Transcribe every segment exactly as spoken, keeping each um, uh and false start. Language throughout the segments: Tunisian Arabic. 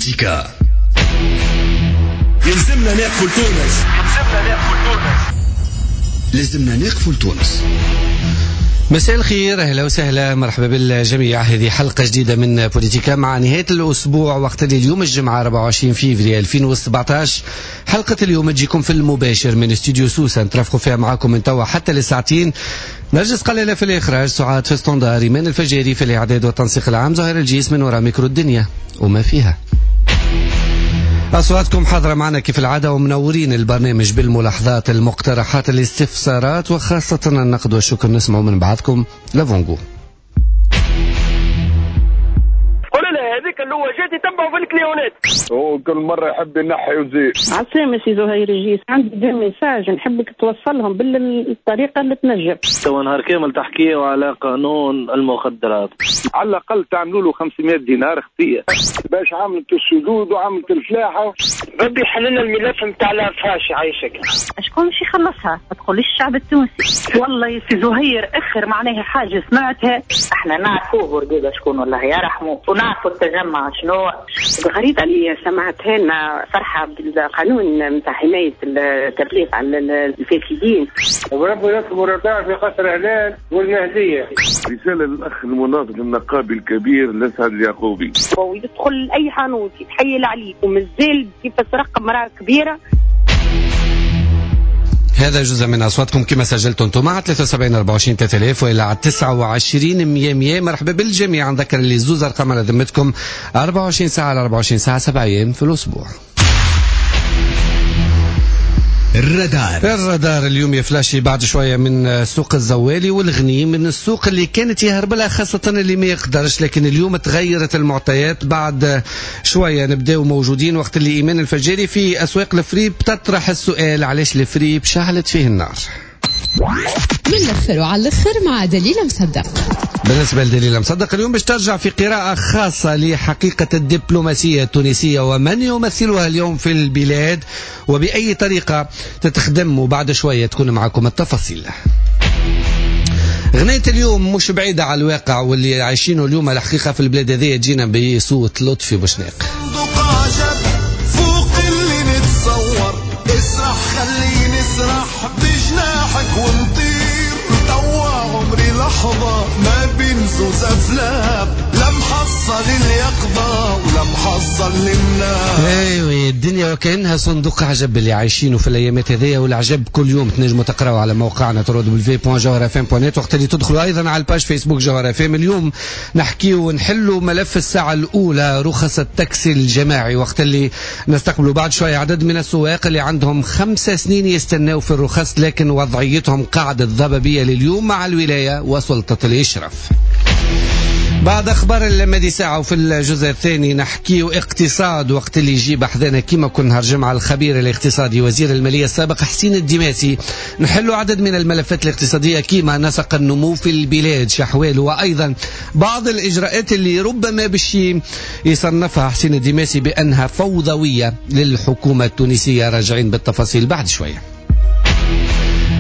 بوليتيكا. يلزمنا نقفوا لتونس، يلزمنا نقفوا لتونس، لازمنا نقفوا لتونس. مساء الخير، اهلا وسهلا، مرحبا بالجميع. هذه حلقة جديدة من بوليتيكا مع نهاية الاسبوع، وقت اللي اليوم الجمعة أربعة وعشرين فيفري ألفين وسبعة عشر. حلقة اليوم تجيكم في المباشر من استوديو سوسة، نترافقوا فيها معاكم من توا حتى لساعتين. نرجس قلالة في الاخراج، سعاد في standard، ايمان الفجاري في الاعداد والتنسيق العام، زهير الجيس من وراء ميكرو الدنيا وما فيها. أصواتكم حاضرة معنا كيف العادة ومنورين البرنامج بالملاحظات، المقترحات، الاستفسارات، وخاصة النقد والشكر. نسمعوا من بعضكم لافونغو. قول لها هذيك اللي هو جات يتبعوا في الكليونات، هو كل مرة يحب ينحي وزير. عسلامة سي زهير الجيس، عندي deux messages نحبك توصلهم بالطريقة اللي تنجم. تو نهار كامل تحكيوا على قانون المخدرات، على الأقل تعملوا له خمسمائة دينار خطية باش عملت السدود وعملت الفلاحة. ربي يحل لنا الملف نتاع لافاش يعيشك. شكون باش يخلصها؟ ما تقوليش الشعب التونسي. والله يا سي زهير اخر معناها حاجة سمعتها. احنا نعرفوه بورقيبة شكون، والله يرحمه، ونعرفوا التجمع شنو. الغريبة اللي سمعتها لنا فرحة بالقانون نتاع حماية التبليغ على الفاسدين. وربي يطلب الرضا في قصر هلال والمهدية. رسالة للأخ المناضل النقابي الكبير لسعد اليعقوبي. ويدخل أي حانوت يتحيل عليه ومازال كيف سرق امرأة كبيرة. هذا جزء من أصواتكم كما سجلتم انتم على ثلاثة وسبعين أربعة وعشرين ثلاثة آلاف وإلى على تسعة وعشرين مية مية. مرحبا بالجميع. نذكر اللي زوز أرقام على ذمتكم أربعة وعشرين ساعة على أربعة وعشرين ساعة، سبع أيام في الأسبوع. الرادار الرادار اليوم يا فلاشي بعد شوية من سوق الزوالي والغني، من السوق اللي كانت يهرب لها خاصة اللي ما يقدرش، لكن اليوم تغيرت المعطيات. بعد شوية نبداو موجودين وقت اللي إيمان الفجاري في أسواق الفريب تطرح السؤال علاش الفريب شعلت فيه النار. من الأخر وعلى الأخر مع دليل مصدق. بالنسبة لدليل مصدق اليوم باش ترجع في قراءة خاصة لحقيقة الدبلوماسية التونسية ومن يمثلها اليوم في البلاد وبأي طريقة تتخدم، وبعد شوية تكون معكم التفاصيل. غنية اليوم مش بعيدة على الواقع واللي عايشينه اليوم الحقيقة في البلاد هذه، تجينا بصوت لطفي بوشناق. فوق اللي نتصور، اسرح خليني اسرح بجناحك ونطير، توا عمري لحظة ما بين زوز أفلام، لم حصل اليقظة ولم حصل النار. ايوه الدنيا وكأنها صندوق عجب اللي عايشينه في الايامات هذيا، والعجب كل يوم تنجموا تقراوا على موقعنا دبليو دبليو دبليو دوت جوهرة اف ام دوت نت، وقت اللي تدخلوا ايضا على ال page فيسبوك جوهرة اف ام. اليوم نحكيو ونحلوا ملف الساعة الاولى رخص التاكسي الجماعي، وقت اللي نستقبلوا بعد شوية عدد من السواق اللي عندهم خمس سنين يستناو في الرخص، لكن وضعيتهم قاعدة ضبابية لليوم مع الولاية وسلطة الاشراف. بعد اخبار المدي ساعة وفي الجزء الثاني نحكيو اقتصاد، وقت اللي يجيب احذانا كيما كل نهار جمعه الخبير الاقتصادي وزير المالية السابق حسين الدماسي. نحلوا عدد من الملفات الاقتصادية كيما نسق النمو في البلاد شحواله، وايضا بعض الاجراءات اللي ربما باش يصنفها حسين الدماسي بانها فوضوية للحكومة التونسية. راجعين بالتفاصيل بعد شوية.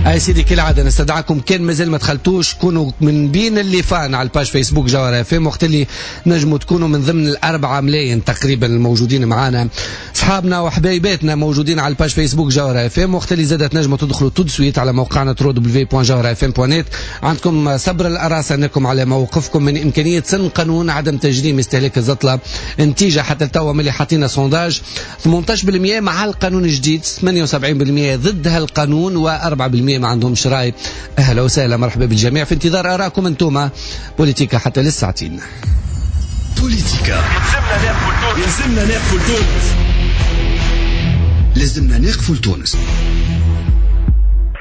اي سيدي كالعادة نستدعاكم كان مازال ما دخلتوش كونوا من بين اللي fans على ال page فيسبوك جوهرة اف ام، وقت اللي نجموا تكونوا من ضمن الأربعة ملايين تقريبا الموجودين معانا، اصحابنا وحبايباتنا موجودين على ال page فيسبوك جوهرة اف ام، وقت اللي زادت نجموا تدخلوا tout de suite على موقعنا دبليو دبليو دبليو دوت جوهرة اف ام دوت نت. عندكم صبر الأراس انكم على موقفكم من امكانية سن قانون عدم تجريم استهلاك الزطله، نتيجة حتى توا ملي حاطين sondage ثمانية عشر بالمئة مع القانون الجديد، ثمانية وسبعين بالمئة ضد هالقانون، وأربعة بالمئة ما عندهمش راي. اهلا وسهلا، مرحبا بالجميع، في انتظار ارائكم انتم. بوليتيكا حتى للساعتين. بوليتيكا يلزمنا نقفوا لتونس، لازمنا نقفوا لتونس.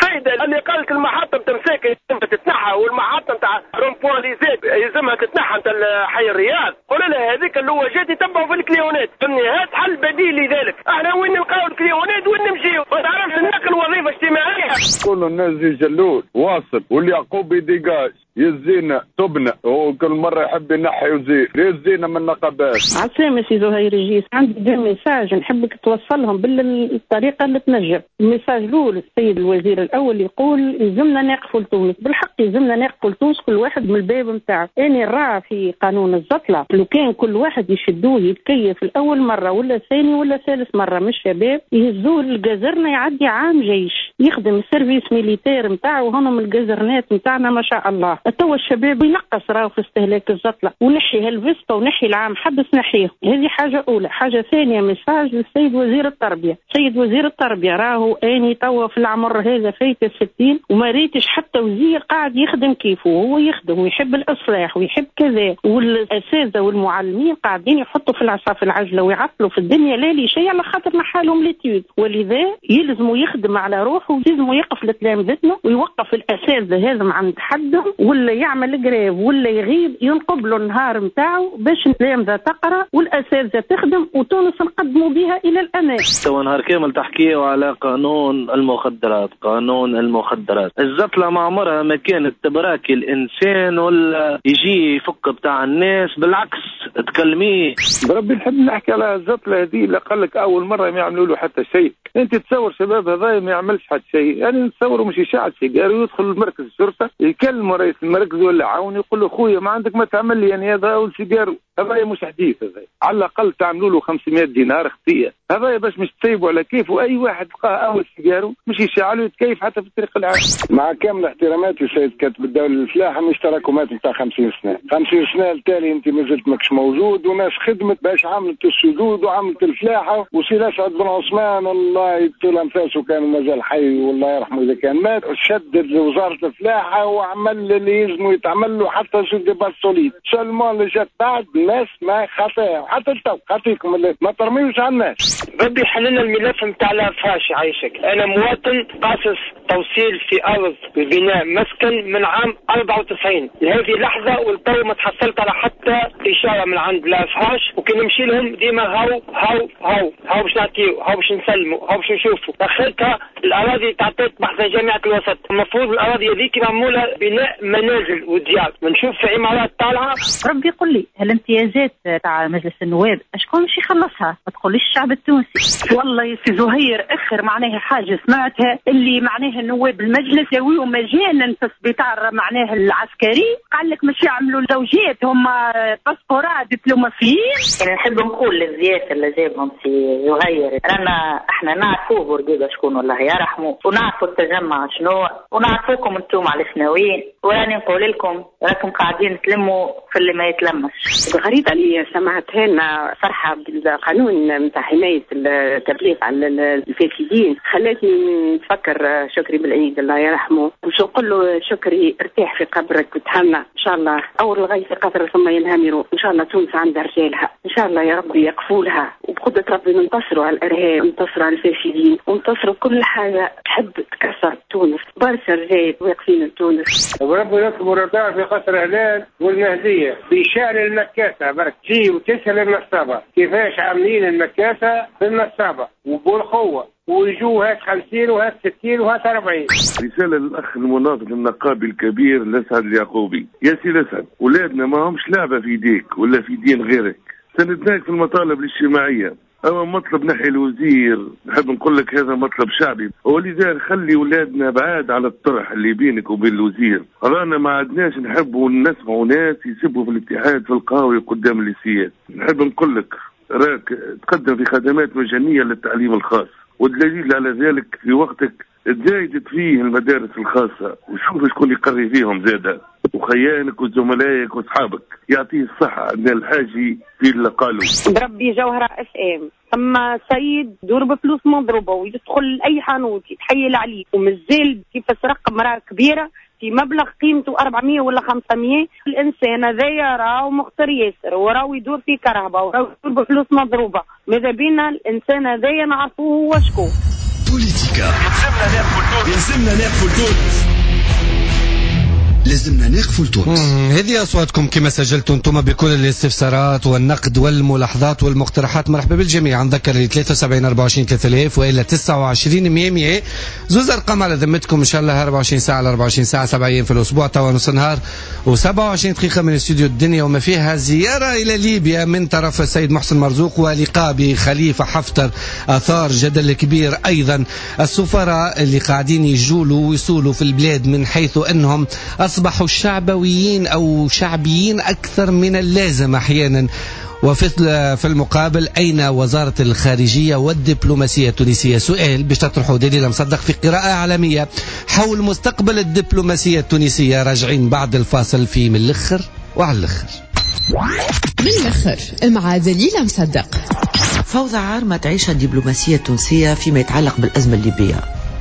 فايدة اللي قالت المحطة نتاع مساكن يلزمها تتنحى، والمحطة نتاع rond-point ليزات يلزمها تتنحى نتاع حي الرياض. قول لها هذيك اللي هو جات يتبعوا في الكليونات، فهمني؟ هات حل بديل لذلك. احنا وين نلقاو الكليونات وين نمشيو؟ ما تعرفش النقل وظيفة اجتماعية. كل الناس جلول واصل واليعقوبي dégage، يزينا تبنى وكل مرة يحب ينحي وزير، يزينا من النقابات. عسلامة سي زهير الجيس، عندي deux messages نحبك توصلهم بالطريقة اللي تنجم. ال message الاول السيد الوزير الاول يقول يلزمنا نقفوا لتونس، بالحق يلزمنا نقفوا لتونس كل واحد من الباب نتاعو. انا راه في قانون الزطله لو كان كل واحد يشدوه يتكيف الاول مرة ولا ثاني ولا ثالث مرة من الشباب يهزوه لل caserne يعدي عام جيش يخدم ال service militaire نتاعو، هما من الجزرنات نتاعنا ما شاء الله. توا الشباب ينقص راهو في استهلاك الزطله، ونحي هالفيستا ونحي العام حبس نحيه. هذه حاجة اولى. حاجة ثانية message للسيد وزير التربية، سيد وزير التربية راهو اني توا في العمر هذا فايت الستين وما ريتش حتى وزير قاعد يخدم كيفه، وهو يخدم ويحب الاصلاح ويحب كذا، والاساتذه والمعلمين قاعدين يحطوا في العصا في العجلة ويعطلوا في الدنيا لا لي شيء على خاطر نحالهم l'étude. ولذا يلزموا يخدم على روحه ويلزموا يقف لتلامذتنا ويوقف الاساتذة هذا عند حدهم، ولا يعمل grève ولا يغيب ينقب له النهار نتاعو باش التلامذه تقرا والاساتذه تخدم وتونس نقدموا بها الى الامام. تو نهار كامل تحكيوا على قانون المخدرات، قانون المخدرات، الزطله ما عمرها ما كانت تبراكي الانسان ولا يجي يفك بتاع الناس، بالعكس تكلميه. بربي نحب نحكي على الزطله هذه اللي قال لك اول مرة ما يعملوا له حتى شيء. انت تصور شباب هذا ما يعملش حتى شيء، يعني نتصوروا مش يشعل سيجارة ويدخل المركز الشرطة يكلموا رئيس المركز ولا عون يقول له خويا ما عندك ما تعمل لي، يعني هذا اول سيجارو، هذا مش حديث، هذا على الاقل تعملوا له خمسمائة دينار خطيه، هذا باش مش تسيبوا على كيفه. اي واحد لقاه اول سيجارو مش يشعل ويتكيف حتى في الطريق العام. مع كامل احتراماتي سيد كاتب الدولة للفلاحه، مش تراكمات نتاع خمسين سنة، خمسين سنة التالي انت مازلت ماكش موجود، وناس خدمت باش عملت السدود وعملت الفلاحة، وسي الاسعد بن عثمان الله يطول انفاسه كان مازال حي والله يرحمه اذا كان مات، شدد وزارة الفلاحة وعمل اللي يلزمه يتعمل له حتى sur des bases solides، seulement اللي جات بعد الناس ما خاطئها حتى التو خاطيكم ما ترميوش على الناس. ربي حللنا الملف نتاع l'AFH عايشك. انا مواطن قاصص توصيل في ارض ببناء مسكن من عام أربعة وتسعين لهذه اللحظة والتو ما تحصلت على حتى اشارة من عند l'AFH، وكي نمشي لهم ديما هاو هاو هاو هاو باش نعطيو، هاو باش نسلموا، هاو باش نشوفوا. اخرتها الاراضي تعطيت بحث جامعه الوسط، المفروض الاراضي هذيك معمولة بناء منازل وديار، بنشوف في عمارات طالعه. ربي يقول لي هالامتيازات تاع مجلس النواب اشكون باش يخلصها؟ ما تقوليش الشعب التونسي. والله يا سي زهير اخر معناها حاجة سمعتها اللي معناها النواب المجلس يسويوا مجانا في السبيطار معناها العسكري، قال لك مش يعملوا زوجات هم باسبورات دبلوماسيين. يعني نحب نقول للزيات اللي جابهم سي زهير رانا احنا نعرفوه بورقيبة شكون والله يرحمه، ونعرفوا التجمع شنو، ونعرفوكم انتم على شناويين، وراني نقول لكم راكم قاعدين تلموا في اللي ما يتلمش. الغريبة اللي سمعتها لنا فرحه بالقانون نتاع حماية التبليغ على الفاسدين خلتني نفكر شكري بالعيد الله يرحمه، وش نقول له شكري ارتاح في قبرك وتهنى ان شاء الله، اول الغيث قطر ثم ينهمروا، ان شاء الله تونس عندها رجالها، ان شاء الله يا ربي يقفوا لها، وبقدره ربي ننتصروا على الارهاب وننتصروا على الفاسدين وننتصروا كل حاجة تحب تكسر تونس، برشا رجال واقفين لتونس. وربي يطلب الرضا في قصر هلال والمهديه بشان المكاسه برك تجي وتسال النصابه كيفاش عاملين المكاسه في النصابه وبالقوة، ويجوا هات خمسين وهات ستين وهات أربعين. رسالة للأخ المناضل النقابي الكبير لسعد اليعقوبي، يا سي لسعد ولادنا ما همش لعبة في ايديك ولا في دين غيرك، سندناك في المطالب الاجتماعية، أما مطلب نحي الوزير نحب نقول لك هذا مطلب شعبي، ولذا خلي ولادنا بعاد على الطرح اللي بينك وبين الوزير، رانا ما عدناش نحبوا نسمعوا ناس يسبوا في الاتحاد في القهوة قدام الليسيات. نحب نقول لك راك تقدم في خدمات مجانية للتعليم الخاص، والدليل على ذلك في وقتك تزايدت فيه المدارس الخاصة، وشوف شكون يقري فيهم زادة، وخيانك وزملائك واصحابك. يعطيه الصحة عندنا الحاجي في اللي قالوا. بربي جوهرة اف ام ثم سيد دور بفلوس مضروبة ويدخل لأي حانوت يتحيل عليه، ومازال كيف سرق امرأة كبيرة في مبلغ قيمته أربعمية ولا خمسمية. الإنسان هذايا راهو مختار ياسر، وراهو يدور في كرهبة، وراهو يدور بفلوس مضروبة. ماذا بينا الإنسان هذايا نعرفوه هو شكون. بوليتيكا يلزمنا ناقفوا لتونس. لازمنا نقفوا لتونس. هذه أصواتكم كما سجلتوا أنتم بكل الاستفسارات والنقد والملاحظات والمقترحات. مرحبا بالجميع. نذكر اللي ثلاثة وسبعين أربعة وعشرين ثلاثة آلاف وإلا تسعة وعشرين مية مية، زوز أرقام على ذمتكم إن شاء الله أربعة وعشرين ساعة على أربعة وعشرين ساعة، سبع أيام في الأسبوع، توا نص نهار وسبعة وعشرين دقيقة من استوديو الدنيا وما فيها. زيارة إلى ليبيا من طرف السيد محسن مرزوق ولقاء بخليفة حفتر أثار جدل كبير. أيضا السفراء اللي قاعدين يجولوا ويصولوا في البلاد من حيث أنهم أصبحوا شعبويين أو شعبيين أكثر من اللازم أحيانا. وفي في المقابل أين وزارة الخارجية والدبلوماسية التونسية؟ سؤال باش تطرحه دليل مصدق في قراءة عالمية حول مستقبل الدبلوماسية التونسية. راجعين بعد الفاصل في من الأخر وعلى الأخر. من الأخر مع دليل مصدق. فوضى عارمة تعيشها الدبلوماسية التونسية فيما يتعلق بالأزمة الليبية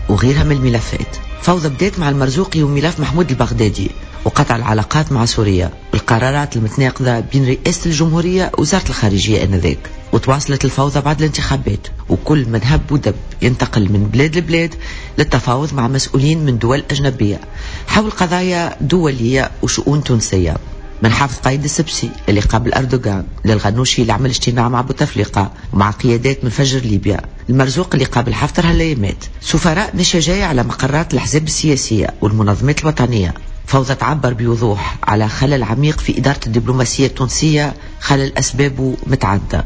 وغيرها من الملفات. فوضى بدأت مع المرزوقي وملف محمود البغدادي وقطع العلاقات مع سوريا والقرارات المتناقضة بين رئاسة الجمهورية ووزارة الخارجية آنذاك. وتواصلت الفوضى بعد الانتخابات، وكل من هب ودب ينتقل من بلاد لبلاد للتفاوض مع مسؤولين من دول أجنبية حول قضايا دولية وشؤون تونسية. من حافظ قايد السبسي اللي قابل أردوغان، للغنوشي اللي عمل اجتماع مع بوتفليقة ومع قيادات من فجر ليبيا، المرزوق اللي قابل حفتر هالايامات، سفراء مشى جاية على مقرات الأحزاب السياسية والمنظمات الوطنية. فوضى تعبر بوضوح على خلل عميق في إدارة الدبلوماسية التونسية، خلل أسبابه متعددة.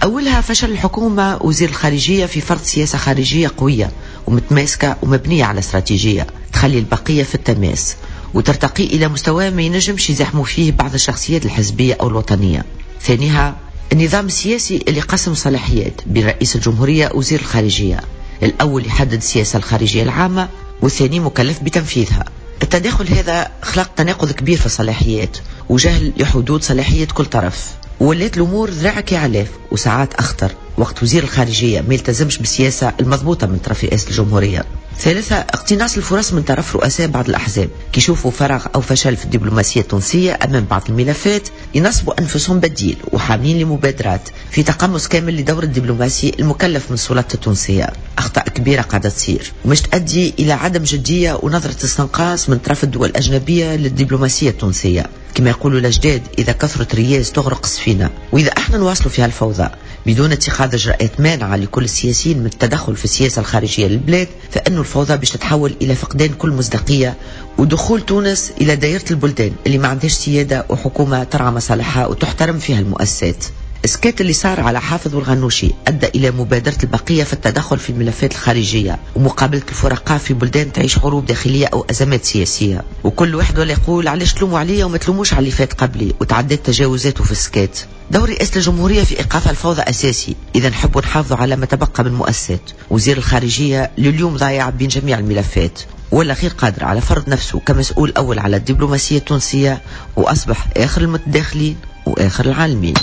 أولها فشل الحكومة وزير الخارجية في فرض سياسة خارجية قوية ومتماسكة ومبنية على استراتيجية تخلي البقية في التماس وترتقي إلى مستوى ما ينجمش يزاحموا فيه بعض الشخصيات الحزبية أو الوطنية. ثانيها النظام السياسي اللي قسم صلاحيات بين رئيس الجمهورية وزير الخارجية، الأول يحدد السياسة الخارجية العامة والثاني مكلف بتنفيذها. التداخل هذا خلق تناقض كبير في الصلاحيات وجهل لحدود صلاحية كل طرف، ولات الأمور ذراعك يا علاف وساعات أخطر وقت وزير الخارجية ما يلتزمش بالسياسة المضبوطة من طرف رئاسة الجمهورية. ثالثا اقتناص الفرص من طرف رؤساء بعض الأحزاب كي يشوفوا فراغ أو فشل في الدبلوماسية التونسية أمام بعض الملفات ينصبوا أنفسهم بديل وحاملين لمبادرات في تقمص كامل لدور الدبلوماسي المكلف من السلطات التونسية. أخطاء كبيرة قاعدة تصير ومش تؤدي إلى عدم جدية ونظرة استنقاص من طرف الدول الأجنبية للدبلوماسية التونسية. كما يقولوا الأجداد إذا كثرت رياس تغرق السفينة، وإذا احنا نواصلوا فيها الفوضى بدون اتخاذ إجراءات مانعة لكل السياسيين من التدخل في السياسة الخارجية للبلاد، فإنه الفوضى باش تتحول إلى فقدان كل مصداقية ودخول تونس إلى دائرة البلدان اللي ما عندهاش سيادة وحكومة ترعى مصالحها وتحترم فيها المؤسسات. السكات اللي صار على حافظ والغنوشي أدى إلى مبادرة البقية في التدخل في الملفات الخارجية ومقابلة الفرقاء في بلدان تعيش حروب داخلية أو أزمات سياسية، وكل واحد ولا يقول علاش تلوموا عليا وما تلوموش على اللي فات قبلي وتعدت تجاوزاته في السكات. دور رئاسة الجمهورية في إيقاف الفوضى أساسي إذا نحبوا نحافظوا على ما تبقى من مؤسسات. وزير الخارجية لليوم ضايع بين جميع الملفات ولا غير قادر على فرض نفسه كمسؤول أول على الدبلوماسية التونسية، وأصبح آخر المتداخلين وآخر العالمين.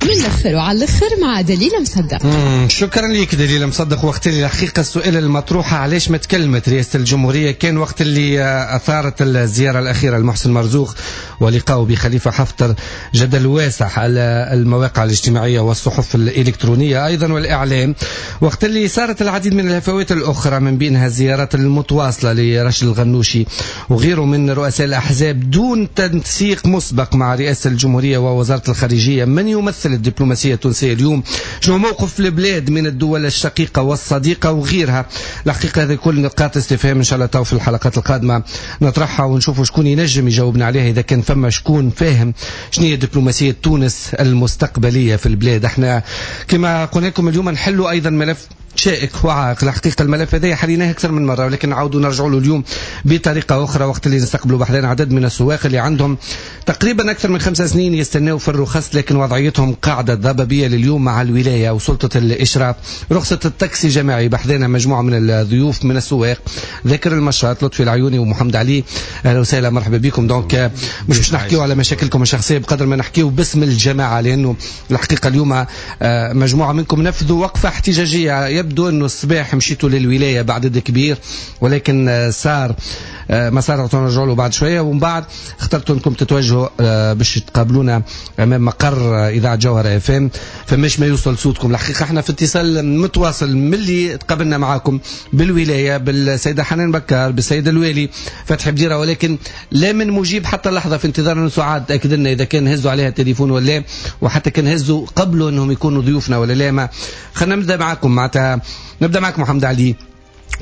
من الأخر وعلى الأخر مع دليل مصدق. شكرا لك دليل مصدق. وقت اللي الحقيقة السؤال المطروح علاش ما تكلمت رئاسة الجمهورية كان وقت اللي أثارت الزيارة الأخيرة لمحسن مرزوق ولقائه بخليفة حفتر جدل واسع على المواقع الاجتماعية والصحف الإلكترونية أيضا والإعلام، وقت اللي صارت العديد من الهفوات الأخرى من بينها الزيارات المتواصلة لرشد الغنوشي وغيره من رؤساء الأحزاب دون تنسيق مسبق مع رئاسة الجمهورية ووزارة الخارجية. من يمثل الدبلوماسية التونسية اليوم؟ شنو موقف البلاد من الدول الشقيقة والصديقة وغيرها؟ الحقيقة هذه كل نقاط استفهام إن شاء الله تو في الحلقات القادمة نطرحها ونشوفوا شكون ينجم يجاوبنا عليها إذا كان فما شكون فاهم شنو هي دبلوماسية تونس المستقبلية في البلاد. احنا كما قلنا لكم اليوم نحلوا أيضا ملف شائك وعائق. الحقيقة الملف هذا حليناه أكثر من مرة، ولكن نعاودوا نرجعوا له اليوم بطريقة أخرى وقت اللي نستقبلوا بحذانا عدد من السواق اللي عندهم تقريبا أكثر من خمس سنين يستناو في الرخص، لكن وضعيتهم قاعدة ضبابية لليوم مع الولاية وسلطة الإشراف. رخصة التاكسي جماعي بحذانا مجموعة من الضيوف من السواق، ذاكر المشاط، لطفي العيوني ومحمد علي. أهلا وسهلا، مرحبا بكم. donc مش باش نحكيو على مشاكلكم الشخصية بقدر ما نحكيو باسم الجماعة، لأنه الحقيقة اليوم مجموعة منكم نفذوا وقفة احتجاجية يبدو يبدو انه الصباح مشيتوا للولاية بعدد كبير، ولكن صار ما صار، نرجعوا له بعد شوية. ومن بعد اخترتوا انكم تتوجهوا باش تقابلونا امام مقر اذاعة جوهره اف ام، فماش ما يوصل صوتكم. الحقيقة احنا في اتصال متواصل ملي تقابلنا معاكم بالولايه بالسيده حنان بكار، بالسيد الوالي فتحي بديره، ولكن لا من مجيب حتى اللحظة. في انتظار انه سعاد تاكد لنا اذا كان هزوا عليها التليفون ولا، وحتى كان هزوا قبلوا انهم يكونوا ضيوفنا ولا لا. ما خلينا نبدا معاكم، معناتها نبدا معاكم محمد علي،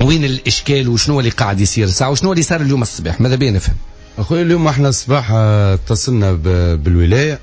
وين الاشكال وشنو اللي قاعد يصير ساعة وشنو اللي صار اليوم الصباح؟ ماذا بينا نفهم اخوي. اليوم احنا الصباح اتصلنا بالولايه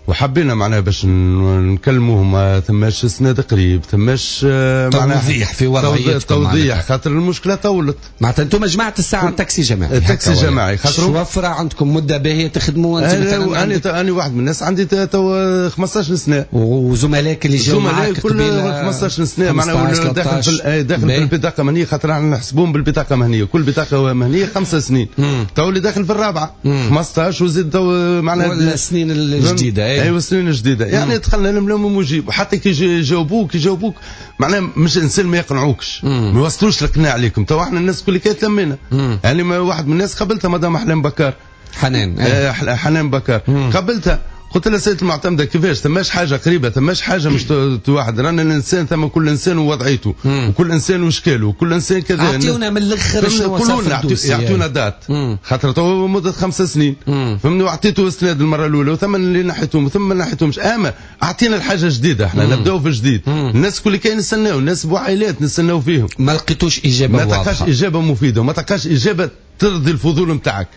وحبينا معناها باش نكلموهم، ثماش سند قريب، ثماش معناها توضيح في وضعيتكم، توضيح خاطر المشكلة طولت. معناتها انتم جماعة الساعة تاكسي جماعي، تاكسي جماعي خاطر وفرة عندكم مده باهيه تخدموا. انت مثلا انا انا واحد من الناس عندي تو خمسطاش سنة، وزملائك اللي جاوا معاك قبيلة خمسطاش سنة معناها داخل في داخل في البطاقة المهنية، خاطر احنا نحسبوهم بالبطاقه المهنية، كل بطاقة مهنية خمس سنين، تو اللي داخل في الرابعة خمسطاش وزيد تو معناها السنين الجديدة. ايوه السنين الجديدة يعني دخلنا لهم مجيب، وحتى كي يجاوبوك يجاوبوك معناها مش انسان ما يقنعوكش، ما يوصلوش القناع عليكم. تو احنا الناس كل كي تلمينا، يعني واحد من الناس قابلتها مدام احلام بكار، حنان آه حنان بكار، قابلتها قلت لها سيدة المعتمدة كيفاش ثماش حاجة قريبة، ثماش حاجة مش واحد، رانا الإنسان ثم كل إنسان ووضعيته، وكل إنسان وشكاله، وكل إنسان كذا. أعطيونا من الآخر شنو صار في يعطونا date، خاطر تو مدة خمس سنين، فهمني، وأعطيته اسناد المرة الأولى وثم اللي نحيتهم وثم ما نحيتهمش، أما أعطينا الحاجة جديدة، احنا نبداو في جديد، الناس كل كاين نستناو، الناس بوعائلات نستناو فيهم. ما لقيتوش إجابة واضحة، ما تلقاش إجابة مفيدة، وما تلقاش إجابة ترضي الفضول نتاعك،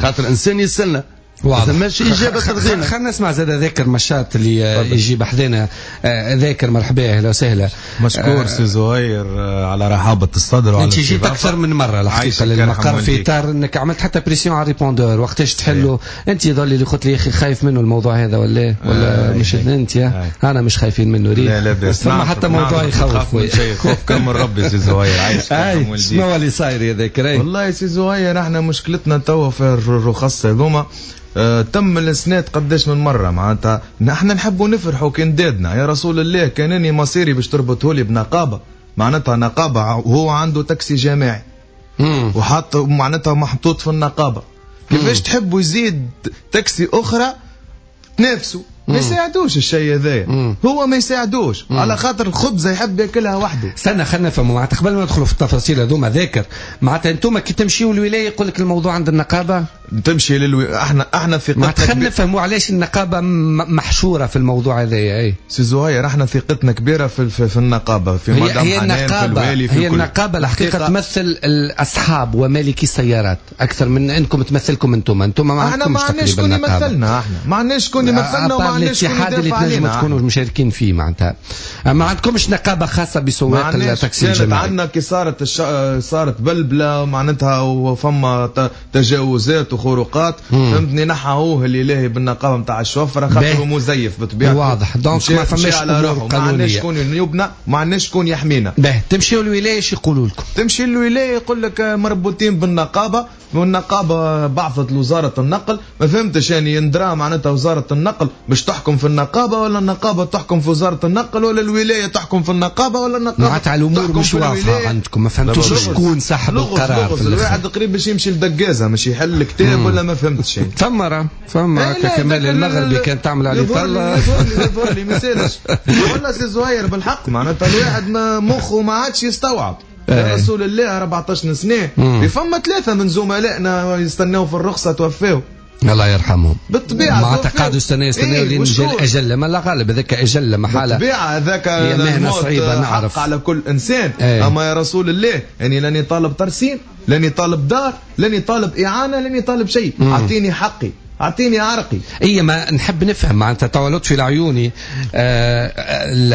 خاطر إنسان يستنى. واضح. ماشي اجابه ترضينا. خلينا نسمع زاد ذاكر مشاط اللي يجيب حذانا. ذاكر مرحبا، اهلا وسهلا. مشكور سي زهير على رحابه الصدر وعلى انت جيت اكثر من مرة الحقيقة للمقر في اطار انك عملت حتى pression على ال répondeur وقتاش تحلوا. انت ظل اللي قلت لي يا اخي خايف منه الموضوع هذا ولا ولا مش انت؟ انا مش خايفين منه. ريت لا لا بس فما حتى موضوع يخوف. خوف كم من ربي سي زهير. عايش شنو اللي صاير يا ذاكر؟ والله سي زهير احنا مشكلتنا توا في الرخص هذوما. آه، تم الاسناد قداش من مرة، معناتها نحن نحبوا نفرحوا كي ندادنا يا رسول الله. كان اني مصيري باش تربطه لي بنقابه، معناتها نقابة وهو عنده تاكسي جماعي وحاط معناتها محطوط في النقابة، كيفاش تحبوا يزيد تاكسي اخرى تنافسوا؟ ما يساعدوش الشيء هذايا، هو ما يساعدوش على خاطر الخبزة يحب ياكلها وحده. استنى خلينا نفهموا معناتها قبل ما ندخلوا في التفاصيل هذوما. ذاكر معناتها انتم كي تمشيوا للولاية يقول لك الموضوع عند النقابة؟ تمشي للو... احنا احنا ثقتنا معناتها خلينا نفهموا علاش النقابة محشوره في الموضوع هذايا. اي سي زهير احنا ثقتنا كبيرة في في, في النقابة، في مدام هي حنان، في الوالي، في هي النقابة الحقيقة تمثل الاصحاب ومالكي السيارات اكثر من انكم تمثلكم انتم. انتم ما عندكمش تقريبا، ما عندناش شكون يمثلنا، احنا ما عندناش شكون يمثلنا وما الاتحاد اللي تنجموا تكونوا مشاركين فيه. معناتها ما عندكمش نقابة خاصة بسواق التاكسي الجماعي. عندنا كي صارت الش... صارت بلبلة معناتها وفما تجاوزات وخروقات، فهمتني، نحاوه اللي لاهي بالنقابه نتاع الشوفره خاطر مزيف بطبيعته. واضح. donc ما فماش امور قانونية، ما عندناش شكون يبنى، ما عندناش شكون يحمينا. باه تمشيوا للولاية ايش يقولوا لكم؟ تمشي للولاية يقول لك مربوطين بالنقابه، والنقابه بعثت لوزارة النقل. ما فهمتش يعني يندرى معناتها وزارة النقل باش تحكم في النقابة ولا النقابة تحكم في وزارة النقل ولا الولاية تحكم في النقابة ولا النقابة معناتها الامور مش واضحة عندكم، ما فهمتوش شكون صاحب القرار. الواحد قريب باش يمشي لدقازه مش يحل الكتاب ولا ما فهمتش يعني. فما راه فما كمال المغربي كان تعمل عليه طلة يظهر لي ما يسالش والله سي زهير بالحق معناتها الواحد مخه ما عادش يستوعب. يا رسول الله أربعطاش سنة فما ثلاثة من زملائنا يستناو في الرخصة توفاو الله يرحمهم بالطبيعة. معناتها قعدوا يستناو يستناو لين جا الاجل، ما لا غالب هذاك اجل محالة بالطبيعة، هذاك مهنة صعيبة نعرف على كل انسان. ايه. اما يا رسول الله يعني لاني طالب ترسيم، لاني طالب دار، لاني طالب اعانه، لاني طالب شيء، اعطيني حقي، اعطيني عرقي. اي ما نحب نفهم معناتها توا لطفي العيوني آه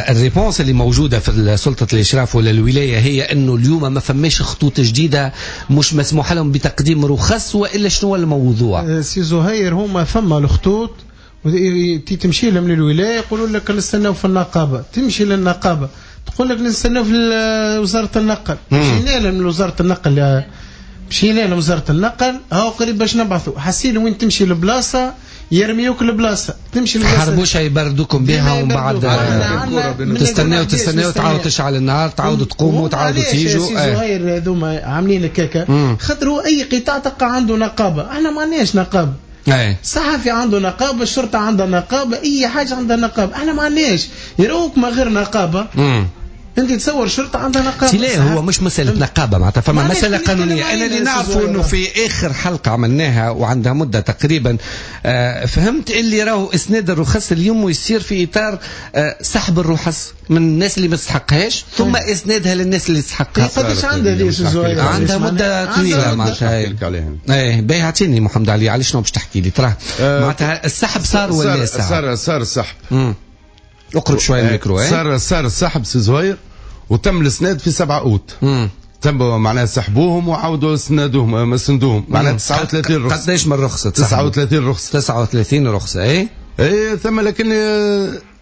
ال réponse اللي موجودة في سلطة الاشراف ولا الولاية هي انه اليوم ما فماش خطوط جديدة مش مسموح لهم بتقديم رخص، والا شنو الموضوع؟ سي زهير هما فما الخطوط تمشي لهم للولاية يقولوا لك نستناو في النقابة، تمشي للنقابه تقول لك نستناو في وزارة النقل. مشينا لهم لوزارة النقل، مشينا لوزارة النقل هاو قريب باش نبعثوا. حسينا وين تمشي البلاصة يرميوك البلاصة تمشي البلاصة حربوشه يبردوكم بها ومن بعد تستناو تستناو تعاود تشعل النهار تعاودوا تقوموا تعاودوا تيجوا. زهير هذوما عاملين هكاكا خاطر هو اي قطاع تلقى عنده نقابة، احنا ما عندناش نقابة. الصحفي عنده نقابة، الشرطة عندها نقابة، اي حاجة عندها نقابة، احنا ما عندناش. يروك ما غير نقابة. مم. انت تصور شرطه عندها نقابة؟ لا هو مش مسالة نقابة معناتها فما مسالة قانونية. انا اللي نعرفه انه في اخر حلقة عملناها وعندها مده تقريبا آه فهمت اللي راهو اسناد الرخص اليوم يصير في اطار آه سحب الرخص من الناس اللي ما تستحقهاش ثم اسنادها للناس اللي تستحقها. قداش عندها ليش زهير؟ عندها مده طويلة معناتها. ايه باهي اعطيني محمد علي على شنو باش تحكي لي تراه معناتها السحب صار ولا صار؟ صار السحب. اقرب شوية الميكرو. صار صار السحب سي زهير وتم الاسناد في سبعة اوت. تم معناها سحبوهم وعاودوا اسندوهم سندوهم معناها تسعة وثلاثين رخصه. قداش من رخصه؟ تسعة وثلاثين رخصه. تسعة وثلاثين رخصه. اي اي ثم لكن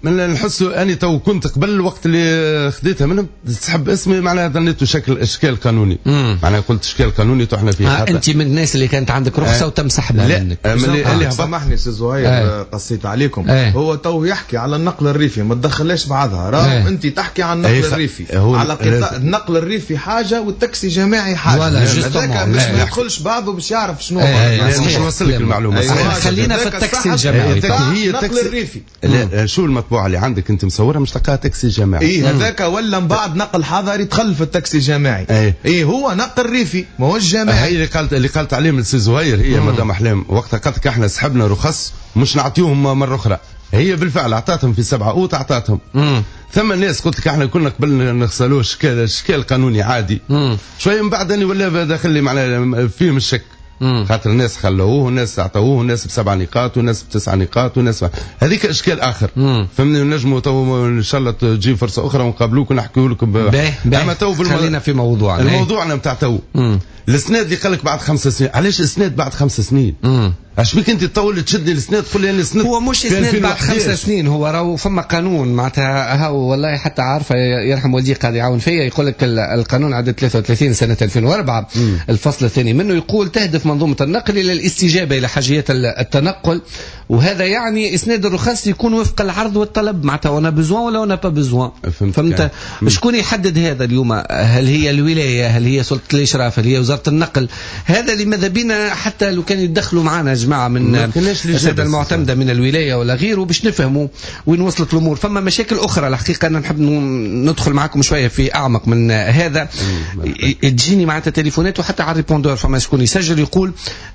من نحسوا اني تو كنت قبل الوقت اللي خديتها منهم تسحب اسمي معناها ظنيته شكل اشكال قانوني. معناها قلت اشكال قانوني تو احنا فيه. آه انت من الناس اللي كانت عندك رخصه آه. وتم سحبها منك. اللي, اللي سامحني سي زهير آه. قصيت عليكم. آه. هو تو يحكي على النقل الريفي ما تدخلهاش بعضها راهو. آه. انت تحكي عن النقل آه. الريفي على قطاع النقل الريفي حاجة والتاكسي جماعي حاجة. هذاك باش ما يدخلش بعضه باش يعرف شنو. مش نوصل لك المعلومة. خلينا في التاكسي الجماعي. هي النقل الريفي. شو المطبوعة اللي عندك انت مصورها مش تلقاها تاكسي جماعي. اي هذاك ولا من بعد نقل حضري دخل في التاكسي جماعي. ايه, إيه هو نقل ريفي ماهوش جماعي. هي اللي قالت اللي قالت عليهم السي زهير هي مدام احلام وقتها قالت لك احنا سحبنا رخص مش نعطيهم مرة اخرى. هي بالفعل اعطاتهم في سبعة اوت اعطاتهم. ثم الناس قلت لك احنا كنا قبل نغسلوه اشكال اشكال قانوني عادي. شوية من بعد اني ولا داخل لي معناها فيهم الشك. خاطر الناس خلوه والناس اعطوه والناس بسبع نقاط والناس بتسع نقاط والناس هذيك اشكال اخر. فهمني نجموا تو ان شاء الله تجي فرصة اخرى ونقابلوك ونحكيو لكم. باهي اما تو خلينا في موضوعنا. الموضوعنا نتاع تو الاسناد اللي قال لك بعد خمس سنين. علاش اسناد بعد خمس سنين؟ اش بيك انت تطول تشدني الاسناد تقول لي انا اسناد؟ هو مش اسناد بعد خمس سنين، هو راهو فما قانون معناتها هاو والله حتى عارفه يرحم والدي قاعد يعاون فيا يقول لك القانون عدد ثلاثة وثلاثين سنة ألفين وأربعة مم. الفصل الثاني منه يقول تهدف منظومة النقل الى الاستجابة الى حاجيات التنقل، وهذا يعني اسناد الرخص يكون وفق العرض والطلب معناتها on a besoin ولا on a pas besoin. فهمت؟ شكون يحدد هذا اليوم؟ هل هي الولاية؟ هل هي سلطة الاشراف؟ هل هي وزارة النقل؟ هذا اللي ماذا بينا حتى لو كان يتدخلوا معنا جماعة من السادة المعتمدة من الولاية ولا غيره باش نفهموا وين وصلت الامور. فما مشاكل اخرى الحقيقة انا نحب ندخل معكم شوية في اعمق من هذا. تجيني معناتها تليفونات وحتى على ال répondeur فما شكون يسجل يقول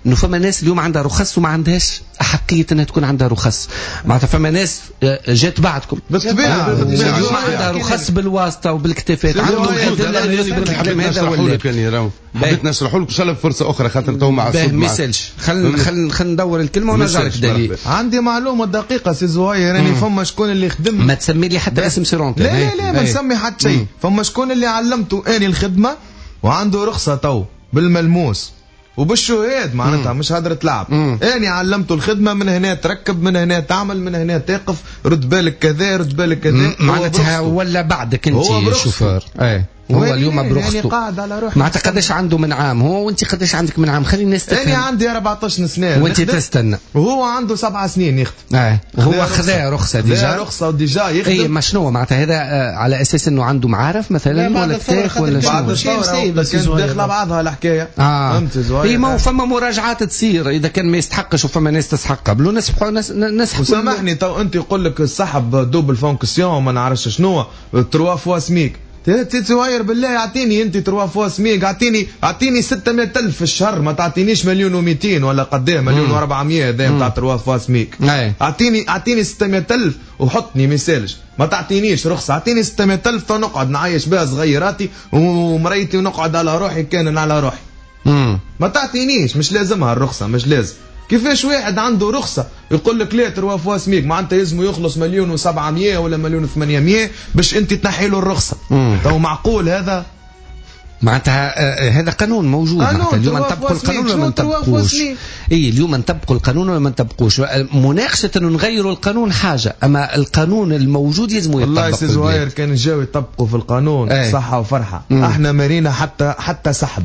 انه فما ناس اليوم عندها رخص وما عندهاش احقية انها تكون عندها رخص. معناتها فما ناس جات بعدكم بالطبيعة اليوم عندها رخص بالواسطة وبالكتافات عندهم ادلة يثبت الكلام هذا ولا. حبيت نشرحه لك ان شاء الله بفرصه اخرى خاطر تو مع الصوت ما يسالش. خل خل خل ندور الكلمة ونرجع لك دليل. عندي معلومة دقيقة سي زهير يعني فما شكون اللي خدم. ما تسمي لي حتى اسم سيرونت. لا لا لا ما نسمي حتى شيء. فما شكون اللي علمته اني الخدمة وعنده رخصه تو بالملموس وبالشهاد معناتها مش هدرة لعب. اني علمته الخدمة من هنا تركب من هنا تعمل من هنا تقف رد بالك كذا رد بالك كذا معناتها ولا بعدك انت شوفير. ايه هو اليوم برخصته يعني قاعد على روحه. معناتها قداش عنده من عام هو وانت قداش عندك من عام؟ خلي الناس تفهم. انا عندي أربعطاش سنة وانت تستنى وهو عنده سبع سنين يخدم. اه هو خذا رخصه déjà رخصه و déjà يخدم. اي ما شنو معناتها هذا على اساس انه عنده معارف مثلا ولا كتاف ولا شنو؟ بعد الثورة داخله بعضها الحكاية. اه فهمت زهير. اي ما فما مراجعات تصير اذا كان ما يستحقش وفما ناس تستحق قبله نسحبوا نسحبوا. سامحني تو انت يقول لك السحب double fonction ما نعرفش شنو trois fois SMIG. تتواير بالله اعطيني انت trois fois SMIG، اعطيني اعطيني ستمية ألف في الشهر، ما تعطينيش مليون ومئتين ولا قداه مليون وأربعمية هذا نتاع trois fois SMIG. اعطيني اعطيني ستمية ألف وحطني ما يسالش، ما تعطينيش رخصة، اعطيني ستمية ألف فنقعد نعيش بها صغيراتي ومريتي ونقعد على روحي كان على روحي. مم. ما تعطينيش، مش لازمها الرخصة، مش لازم. كيفاش واحد عنده رخصة يقول لك لا trois fois SMIG، معناتها يلزمه يخلص مليون وسبعمية ولا مليون وثمانمية باش انت تنحي له الرخصة. تو معقول هذا؟ معناتها هذا قانون موجود. معناتها اليوم نطبقوا القانون ولا ما نطبقوش؟ اي اليوم نطبقوا القانون ولا ما نطبقوش؟ مناقشة انه نغيروا القانون حاجة، اما القانون الموجود يلزم يطبق. والله سي زهير كان جاو يطبقوا في القانون. أي. صحة وفرحة. مم. احنا مارينا حتى حتى سحب.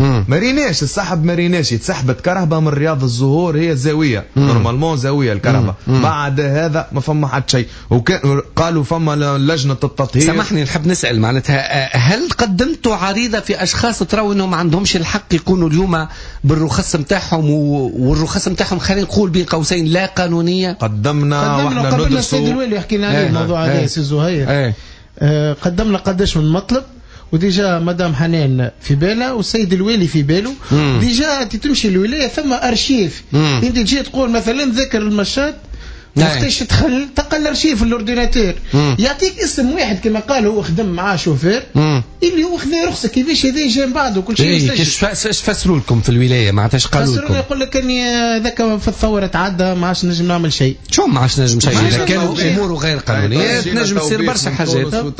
ما ريناش السحب، ما ريناش تسحبت كرهبه من رياض الزهور، هي زاوية normalement زاوية الكرهبه. بعد هذا ما فما حتى شيء، وقالوا فما لجنة التطهير. سامحني نحب نسال معناتها، هل قدمتوا عريضة في اشخاص تراو انهم ما عندهمش الحق يكونوا اليوم بالرخص نتاعهم، والرخص نتاعهم خلينا نقول بين قوسين لا قانونية؟ قدمنا قدمنا قبلنا السيد الوالي حكينا عليه الموضوع هذا سي زهير. آه قدمنا قداش من مطلب، و déjà مدام حنان في بالها والسيد الوالي في باله. déjà انت تمشي الولاية ثم ارشيف، انت تجي تقول مثلا ذكر المشاط وقتاش تدخل تلقى الارشيف ال ordinateur يعطيك اسم واحد كما قال هو خدم معاه شوفير اللي هو خذا رخصه، كيفاش هذا جا من بعده كل شيء. ايش فسروا لكم في الولاية معناتها؟ ايش قالوا لكم؟ يقول لك اني ذاك في الثورة تعدى ما عادش نجم نعمل شيء. شو ما عادش نجم شيء؟ اذا كانوا اموره غير قانونية تنجم تصير برشا حاجات.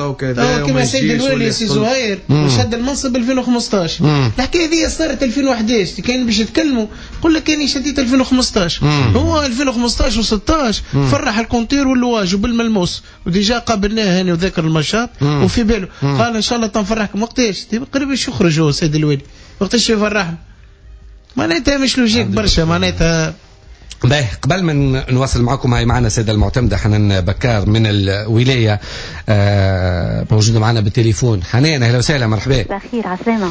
كما السيد الوالي سي زهير شد المنصب ألفين وخمسطاش، الحكاية هذه صارت ألفين وأحداش، كان باش يتكلموا يقول لك اني شديت ألفين وخمسطاش. هو ألفين وخمسطاش وستطاش فرح ال compteur واللواج وبالملموس، و déjà قابلناه هاني وذاكر المشاط وفي باله قال ان شاء الله تنفرحكم. وقتاش قريب باش يخرج هو السيد الوالي، وقتاش يفرحنا؟ معناتها مش logique برشا معناتها. باهي، قبل ما نواصل معكم هاي معنا السيدة المعتمدة حنان بكار من الولاية، آه موجودة معنا بالتليفون. حنان اهلا وسهلا، مرحبا. بخير، عسلامة.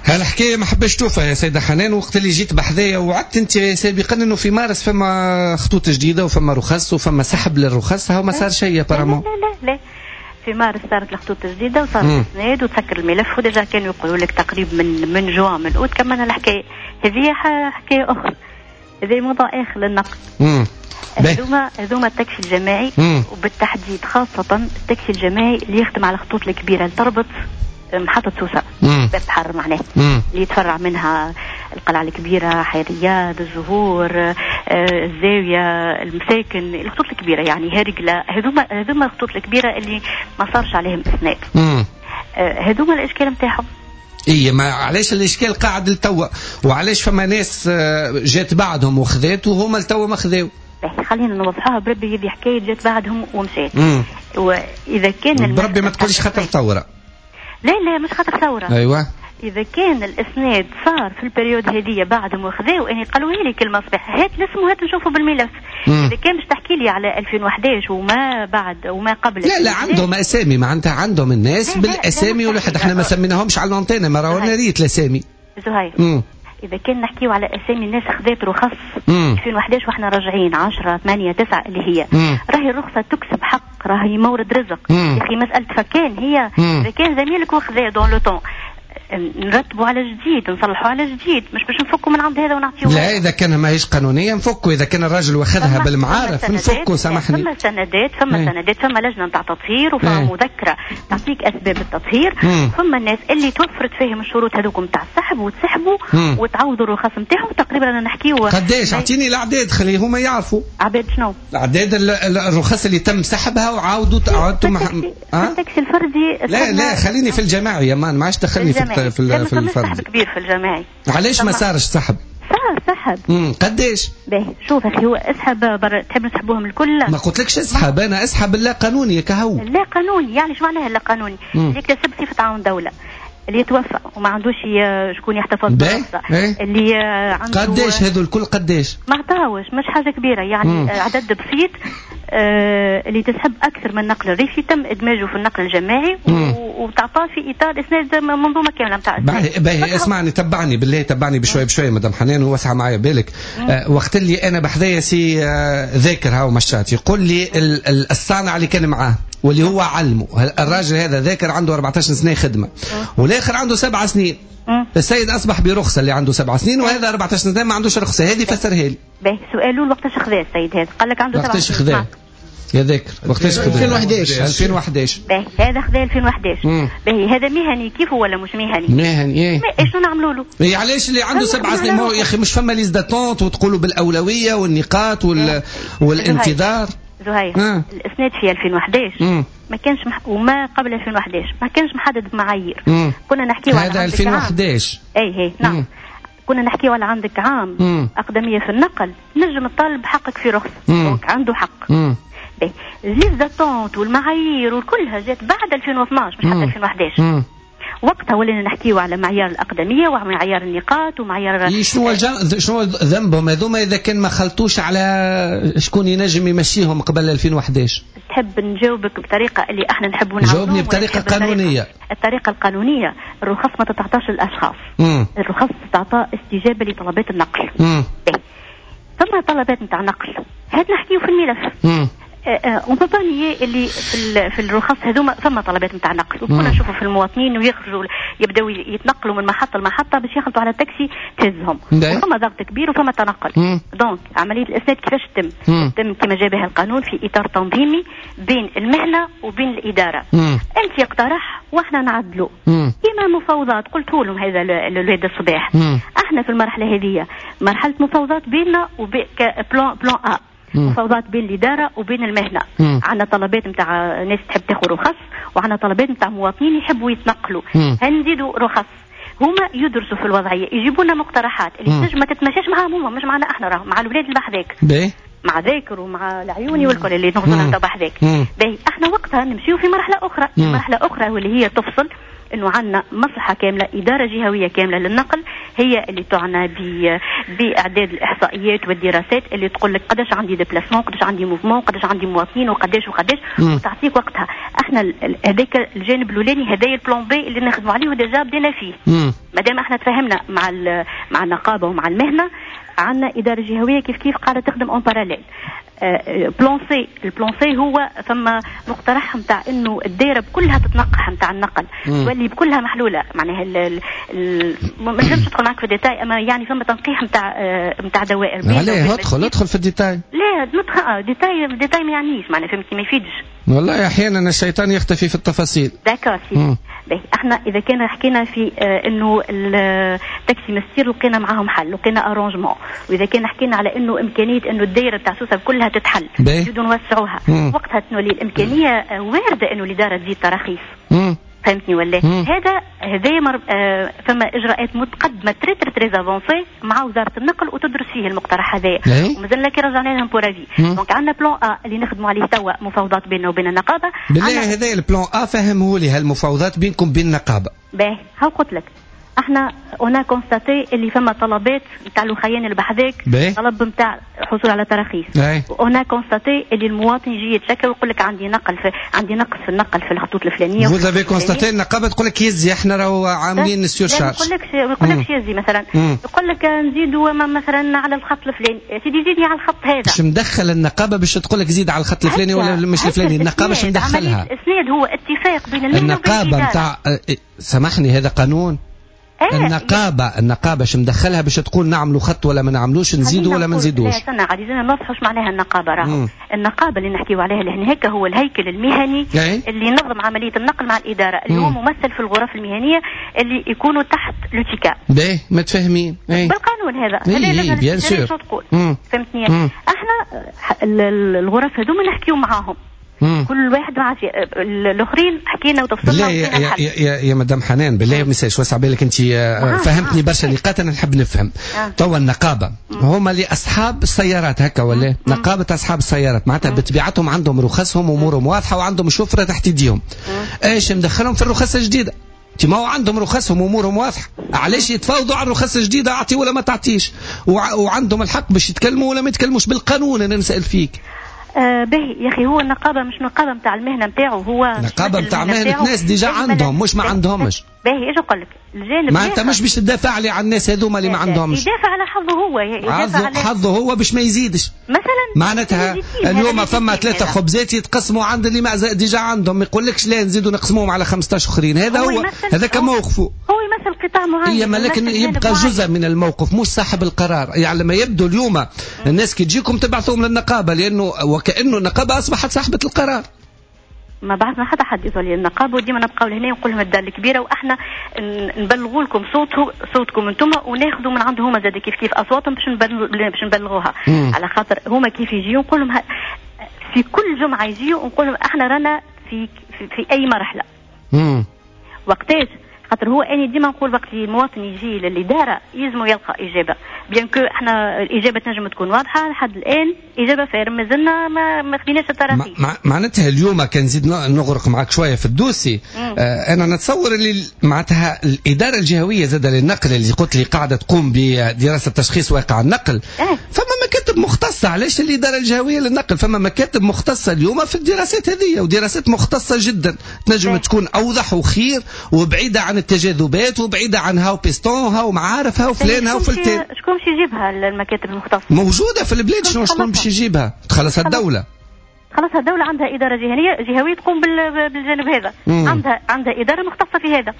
هالحكايه ما حبش توفى يا سيده حنان، وقت اللي جيت بحذايا وعدت انت سابقا انه في مارس فما خطوط جديدة وفما رخص وفما سحب للرخص، هاو ما صار شيء apparemment. لا لا لا، في مارس صارت الخطوط الجديدة وصار الاسناد وتسكر الملف، و déjà كانوا يقولوا لك تقريبا من من جوان من اوت كملنا الحكاية هذه. حكاية اخرى، هذا موضوع اخر للنقد. هذوما هذوما التاكسي الجماعي، وبالتحديد خاصة التاكسي الجماعي اللي يخدم على الخطوط الكبيرة اللي تربط محطة سوسة باب بحر معناه، اللي يتفرع منها القلعة الكبيرة، حي الرياض، الزهور، آه، الزاوية، المساكن، الخطوط الكبيرة يعني هرقلة. هذوما هذوما الخطوط الكبيرة اللي ما صارش عليهم إسناد. آه، هذوما الإشكال نتاعهم. اي ما علاش الاشكال قاعد لتوا، وعلاش فما ناس جات بعدهم وخذات وهما لتوا ما خذاو؟ خلينا نوضحوها بربي، هذه حكاية جات بعدهم ومشات. واذا كان بربي ما تقوليش خاطر ثورة. لا لا مش خاطر ثورة. ايوه، اذا كان الاسناد صار في ال période هذه بعدهم وخذاو، اني قالوا لي كلمة صباح هات الاسم وهات نشوفه بالملف. مم. اذا كان باش تحكي لي على ألفين وأحداش وما بعد وما قبل، لا لا عندهم اسامي، معناتها عندهم الناس بالاسامي، والواحد احنا ما سميناهمش على l'antenne، ما راهو ريت الاسامي. زهير، اذا كان نحكيو على اسامي الناس خذات رخص ألفين وأحداش واحنا راجعين عشرة ثمانية تسعة اللي هي مم. راهي الرخصة تكسب حق، راهي مورد رزق. يا اخي مسالة فكان هي اذا كان زميلك وخذا dans le temps نرتبوا على جديد، نصلحوا على جديد، مش باش نفكوا من عند هذا ونعطيوه. لا اذا كان ماهيش قانونية نفكوا، اذا كان الراجل واخذها بالمعارف نفكوا. سامحني، فما سندات، فما سندات، فما لجنة نتاع تطهير وفما مذكره تعطيك اسباب التطهير، فما الناس اللي توفرت فيهم الشروط هذوك نتاع السحب وتسحبوا وتعوضوا الرخص نتاعهم. تقريبا انا نحكيو قداش؟ اعطيني الاعداد خلي هما يعرفوا. اعداد شنو؟ الاعداد الرخص اللي تم سحبها وعاودوا عاودوا مح... التاكسي الفردي. لا لا خليني في الجماعي يا مان، ما عادش دخلني في في في الفرد. سحب كبير في الجماعي. علاش ما صارش سحب؟ صار سحب. امم قداش؟ باهي شوف اخي، هو اسحب بر... تحب نسحبوهم الكل؟ ما قلتلكش اسحب، انا اسحب اللا قانوني كهو. لا قانوني يعني شو معناها اللا قانوني؟ اللي يكتسب صفة عون دولة، اللي يتوفى وما عندوش شكون يحتفظ بالرخصة، اللي عنده قداش هذو الكل قداش؟ ما عطاوش، مش حاجة كبيرة يعني. مم. عدد بسيط. آه اللي تسحب أكثر من النقل الريفي تم إدماجه في النقل الجماعي وتعطاه في إطار إسناد منظومة كاملة نتاع. باهي اسمعني، تبعني بالله، تبعني بشوي بشوي مدام حنان ووسع معايا بالك. آه وقت اللي أنا بحذايا سي آه ذاكر هاو مشات يقول لي الصانع اللي كان معاه واللي هو علمه الراجل هذا ذاكر عنده أربعطاش سنة خدمة والاخر عنده سبع سنين. السيد اصبح برخصه اللي عنده سبع سنين وهذا أربعطاش سنة ما عندوش رخصه. هذه فسرها لي. باهي سؤاله وقتاش خذا السيد هذا؟ قال لك عنده سبع سنين. وقتاش خذا يا ذاكر؟ وقتاش خذا؟ ألفين وأحداش. ألفين وأحداش. باهي هذا خذا ألفين وأحداش. باهي هذا مهني كيف ولا مش مهني؟ مهني ايه. شنو نعملوا له؟ إيه علاش اللي عنده سبع سنين؟ ما هو يا اخي مش فما liste d'attente وتقولوا بالاولويه والنقاط وال... والانتظار. زهير آه. الاسناد في ألفين وأحداش مم. ما كانش مح... وما قبل ألفين وأحداش ما كانش محدد بمعايير. كنا نحكيو على هذا ألفين وأحداش. اي اي نعم. مم. كنا نحكيو على عندك عام مم. اقدميه في النقل نجم الطالب حقك في رخصه، donc عنده حق. باهي liste d'attente والمعايير وكلها جات بعد ألفين واثناش مش حتى ألفين وأحداش. مم. وقتها ولينا نحكيو على معيار الاقدميه ومعيار النقاط ومعيار شنو الجن... شنو ذنبهم هذوما اذا كان ما خلطوش على شكون ينجم يمشيهم قبل ألفين وأحد عشر؟ تحب نجاوبك بطريقة اللي احنا نحبوا نعاونوهم؟ جاوبني بطريقة قانونية. الطريقة القانونية الرخص ما تتعطاش للاشخاص. مم. الرخص تتعطى استجابة لطلبات النقل. ثم طلبات نتاع نقل، هاد نحكيو في الملف. on peut pas nier اللي في في الرخص هذوما ثم طلبات نتاع نقل، وكنا نشوفوا في المواطنين ويخرجوا يبداو يتنقلوا من محطة لمحطه باش يخلطوا على التاكسي تهزهم، وفما ضغط كبير وفما تنقل. donc عملية الاسناد كيفاش تتم؟ تتم كما جاء بها القانون في اطار تنظيمي بين المهنة وبين الادارة. مم. انت اقترح واحنا نعدلوا كما مفاوضات، قلت لهم هذا الولاد الصباح. مم. احنا في المرحلة هذه مرحلة مفاوضات بيننا وبين plan plan A، مفاوضات بين الإدارة وبين المهنة. عندنا طلبات نتاع ناس تحب تاخذ رخص، وعندنا طلبات نتاع مواطنين يحبوا يتنقلوا. هنزيدوا رخص، هما يدرسوا في الوضعية، يجيبوا لنا مقترحات اللي تنجم ما تتماشاش معاهم هما، مش معنا احنا، راهم مع الولاد اللي بحذاك، مع ذاكر ومع العيوني والكل اللي نغزروا بحذاك. باهي احنا وقتها نمشيو في مرحلة أخرى، مرحلة أخرى واللي هي تفصل انه عندنا مصلحة كاملة، ادارة جهويه كاملة للنقل، هي اللي تعنى باعداد الاحصائيات والدراسات اللي تقول لك قداش عندي déplacements، قداش عندي mouvement، قداش عندي مواطنين، وقداش وقداش، وتعطيك وقتها. احنا هذاك الجانب الاولاني، هذايا ال plan B اللي نخدموا عليه و déjà بدينا فيه. مادام احنا تفاهمنا مع مع النقابة ومع المهنة، عندنا ادارة جهويه كيف كيف قاعدة تخدم en parallèle. plan C، ال plan C هو ثم مقترح نتاع انه الدائرة بكلها تتنقح نتاع النقل، تولي بكلها محلولة، معناها ما نجمش ندخل معك في détail، اما يعني فما تنقيح نتاع نتاع دوائر. عليه ادخل ادخل في ال détail. لا ندخل détail détail ما يعنيش، معناها فهمتني، ما يفيدش. والله احيانا الشيطان يختفي في التفاصيل. d'accord سيدي. باهي احنا اذا كان حكينا في آه انه التاكسي مسير لقينا معاهم حل، لقينا arrangement، واذا كان حكينا على انه امكانية انه الدائرة تاع سوسة كلها تتحل، نزيدوا نوسعوها، وقتها تولي الامكانية وارده انه الادارة تزيد تراخيص. فهمتني ولا؟ هذا هذا مر... آه فما اجراءات متقدمة très très très avancées مع وزارة النقل وتدرس فيه المقترح هذايا، ومازلنا كي رجعنا لهم pour avis. donc عندنا plan A اللي نخدموا عليه توا، مفاوضات بيننا وبين النقابة. بالله هذا ال plan A فهمه لي، هالمفاوضات بينكم بين النقابة. باهي هاو قلت لك احنا on a constaté اللي فما طلبات نتاع الوخيان اللي بحذاك، طلب نتاع حصول على تراخيص. on a constaté اللي المواطن يجي يتشكى ويقول لك عندي نقل في عندي نقص في النقل في الخطوط الفلانية. vous avez constaté النقابة تقول لك يزي احنا راهو عاملين surcharge. ما يقولكش ما يقولكش يزي مثلا، يقول لك نزيدوا مثلا على الخط الفلاني، سيدي زيدني على الخط هذا. مش مدخل النقابة باش تقول لك زيد على الخط الفلاني ولا مش الفلاني، النقابة مش مدخلها. الاسناد هو اتفاق بين المهنة وبين النقابة نتاع، سامحني هذا قانون. إيه النقابة النقابة شو مدخلها باش تقول نعملوا خط ولا ما نعملوش، نزيدوا ولا ما نزيدوش؟ لا استنى عاد لازم نوضحوا اش معناها النقابة. راهو النقابة اللي نحكيو عليها لهنا هكا هو الهيكل المهني إيه؟ اللي ينظم عملية النقل مع الإدارة، اللي مم. هو ممثل في الغرف المهنية اللي يكونوا تحت l'UTICA. باهي متفاهمين إيه؟ بالقانون هذا. هذا إيه bien sûr. تقول فهمتني؟ احنا الغرف هذوما نحكيو معاهم. مم. كل واحد مع الاخرين حكينا وتفصلنا. يا, يا, يا, يا مدام حنان بالله ما يسالش وسع بالك انت فهمتني برشا نقاط انا نحب نفهم. توا النقابة هما اللي اصحاب السيارات هكا ولا؟ نقابة اصحاب السيارات معناتها بطبيعتهم عندهم رخصهم وامورهم واضحة وعندهم شفرة تحت ايديهم. ايش مدخلهم في الرخص الجديدة؟ ما هو عندهم رخصهم وامورهم واضحة، علاش يتفاوضوا على الرخص الجديدة اعطي ولا ما تعطيش؟ وع وعندهم الحق باش يتكلموا ولا ما يتكلموش بالقانون. انا نسال فيك. آه باهي يا اخي، هو النقابة مش نقابة نتاع المهنة نتاعو، هو نقابة نتاع مهنة ناس déjà عندهم مش ما عندهمش. باهي ايش نقول لك الجانب ما انت مش باش تدافع لي على الناس هذوما اللي ما عندهمش. يدافع على حظه هو، يدافع على حظه هو باش ما يزيدش مثلا. معناتها اليوم فما ثلاثة خبزات يتقسموا عند اللي ما déjà عندهم، ما يقولكش لا نزيدوا نقسموهم على خمسطاش اخرين. هذا هو, هو هذا كموقفه، هو يمثل قطاع معين. هي لكن يبقى جزء من الموقف مش صاحب القرار. يعني لما يبدو اليوم الناس كي تجيكم تبعثوهم للنقابه، لانه وكانه النقابة اصبحت صاحبه القرار. ما بعثنا حتى حد يوصل للنقابه، وديما نبقاو لهنا ونقول لهم الدار الكبيرة، واحنا نبلغوا لكم صوته صوتكم انتم، وناخذوا من عندهم هما زاد كيف كيف اصواتهم باش باش نبلغوها. مم. على خاطر هما كيف يجيو نقول لهم في كل جمعه يجيو ونقول لهم احنا رانا في في, في اي مرحلة. مم. وقتاش خاطر هو اني ديما نقول وقت اللي المواطن يجي للادارة يلزمو يلقى اجابه، bien que احنا الاجابة تنجم تكون واضحة لحد الان، اجابه ferme مازلنا ما, ما خديناش التراخيص. معناتها اليوم كان نزيد نغرق معك شوية في ال dossier، آه انا نتصور اللي معناتها الادارة الجهوية زاد للنقل اللي قلت لي قاعدة تقوم بدراسة تشخيص واقع النقل، أه. فما مكاتب مختصة. علاش الادارة الجهوية للنقل؟ فما مكاتب مختصة اليوم في الدراسات هذه، ودراسات مختصة جدا تنجم أه. تكون اوضح وخير وبعيدة عن التجاذبات وبعيدة عن هاو بيستون هاو معارف هاو فلان هاو فلتان. شكون باش يجيبها المكاتب المختصة؟ موجودة في البلاد، شنو شكون باش يجيبها؟ تخلصها الدولة. خلاص الدولة عندها إدارة جهوية جهوية تقوم بالجانب هذا. مم. عندها عندها إدارة مختصة في هذا.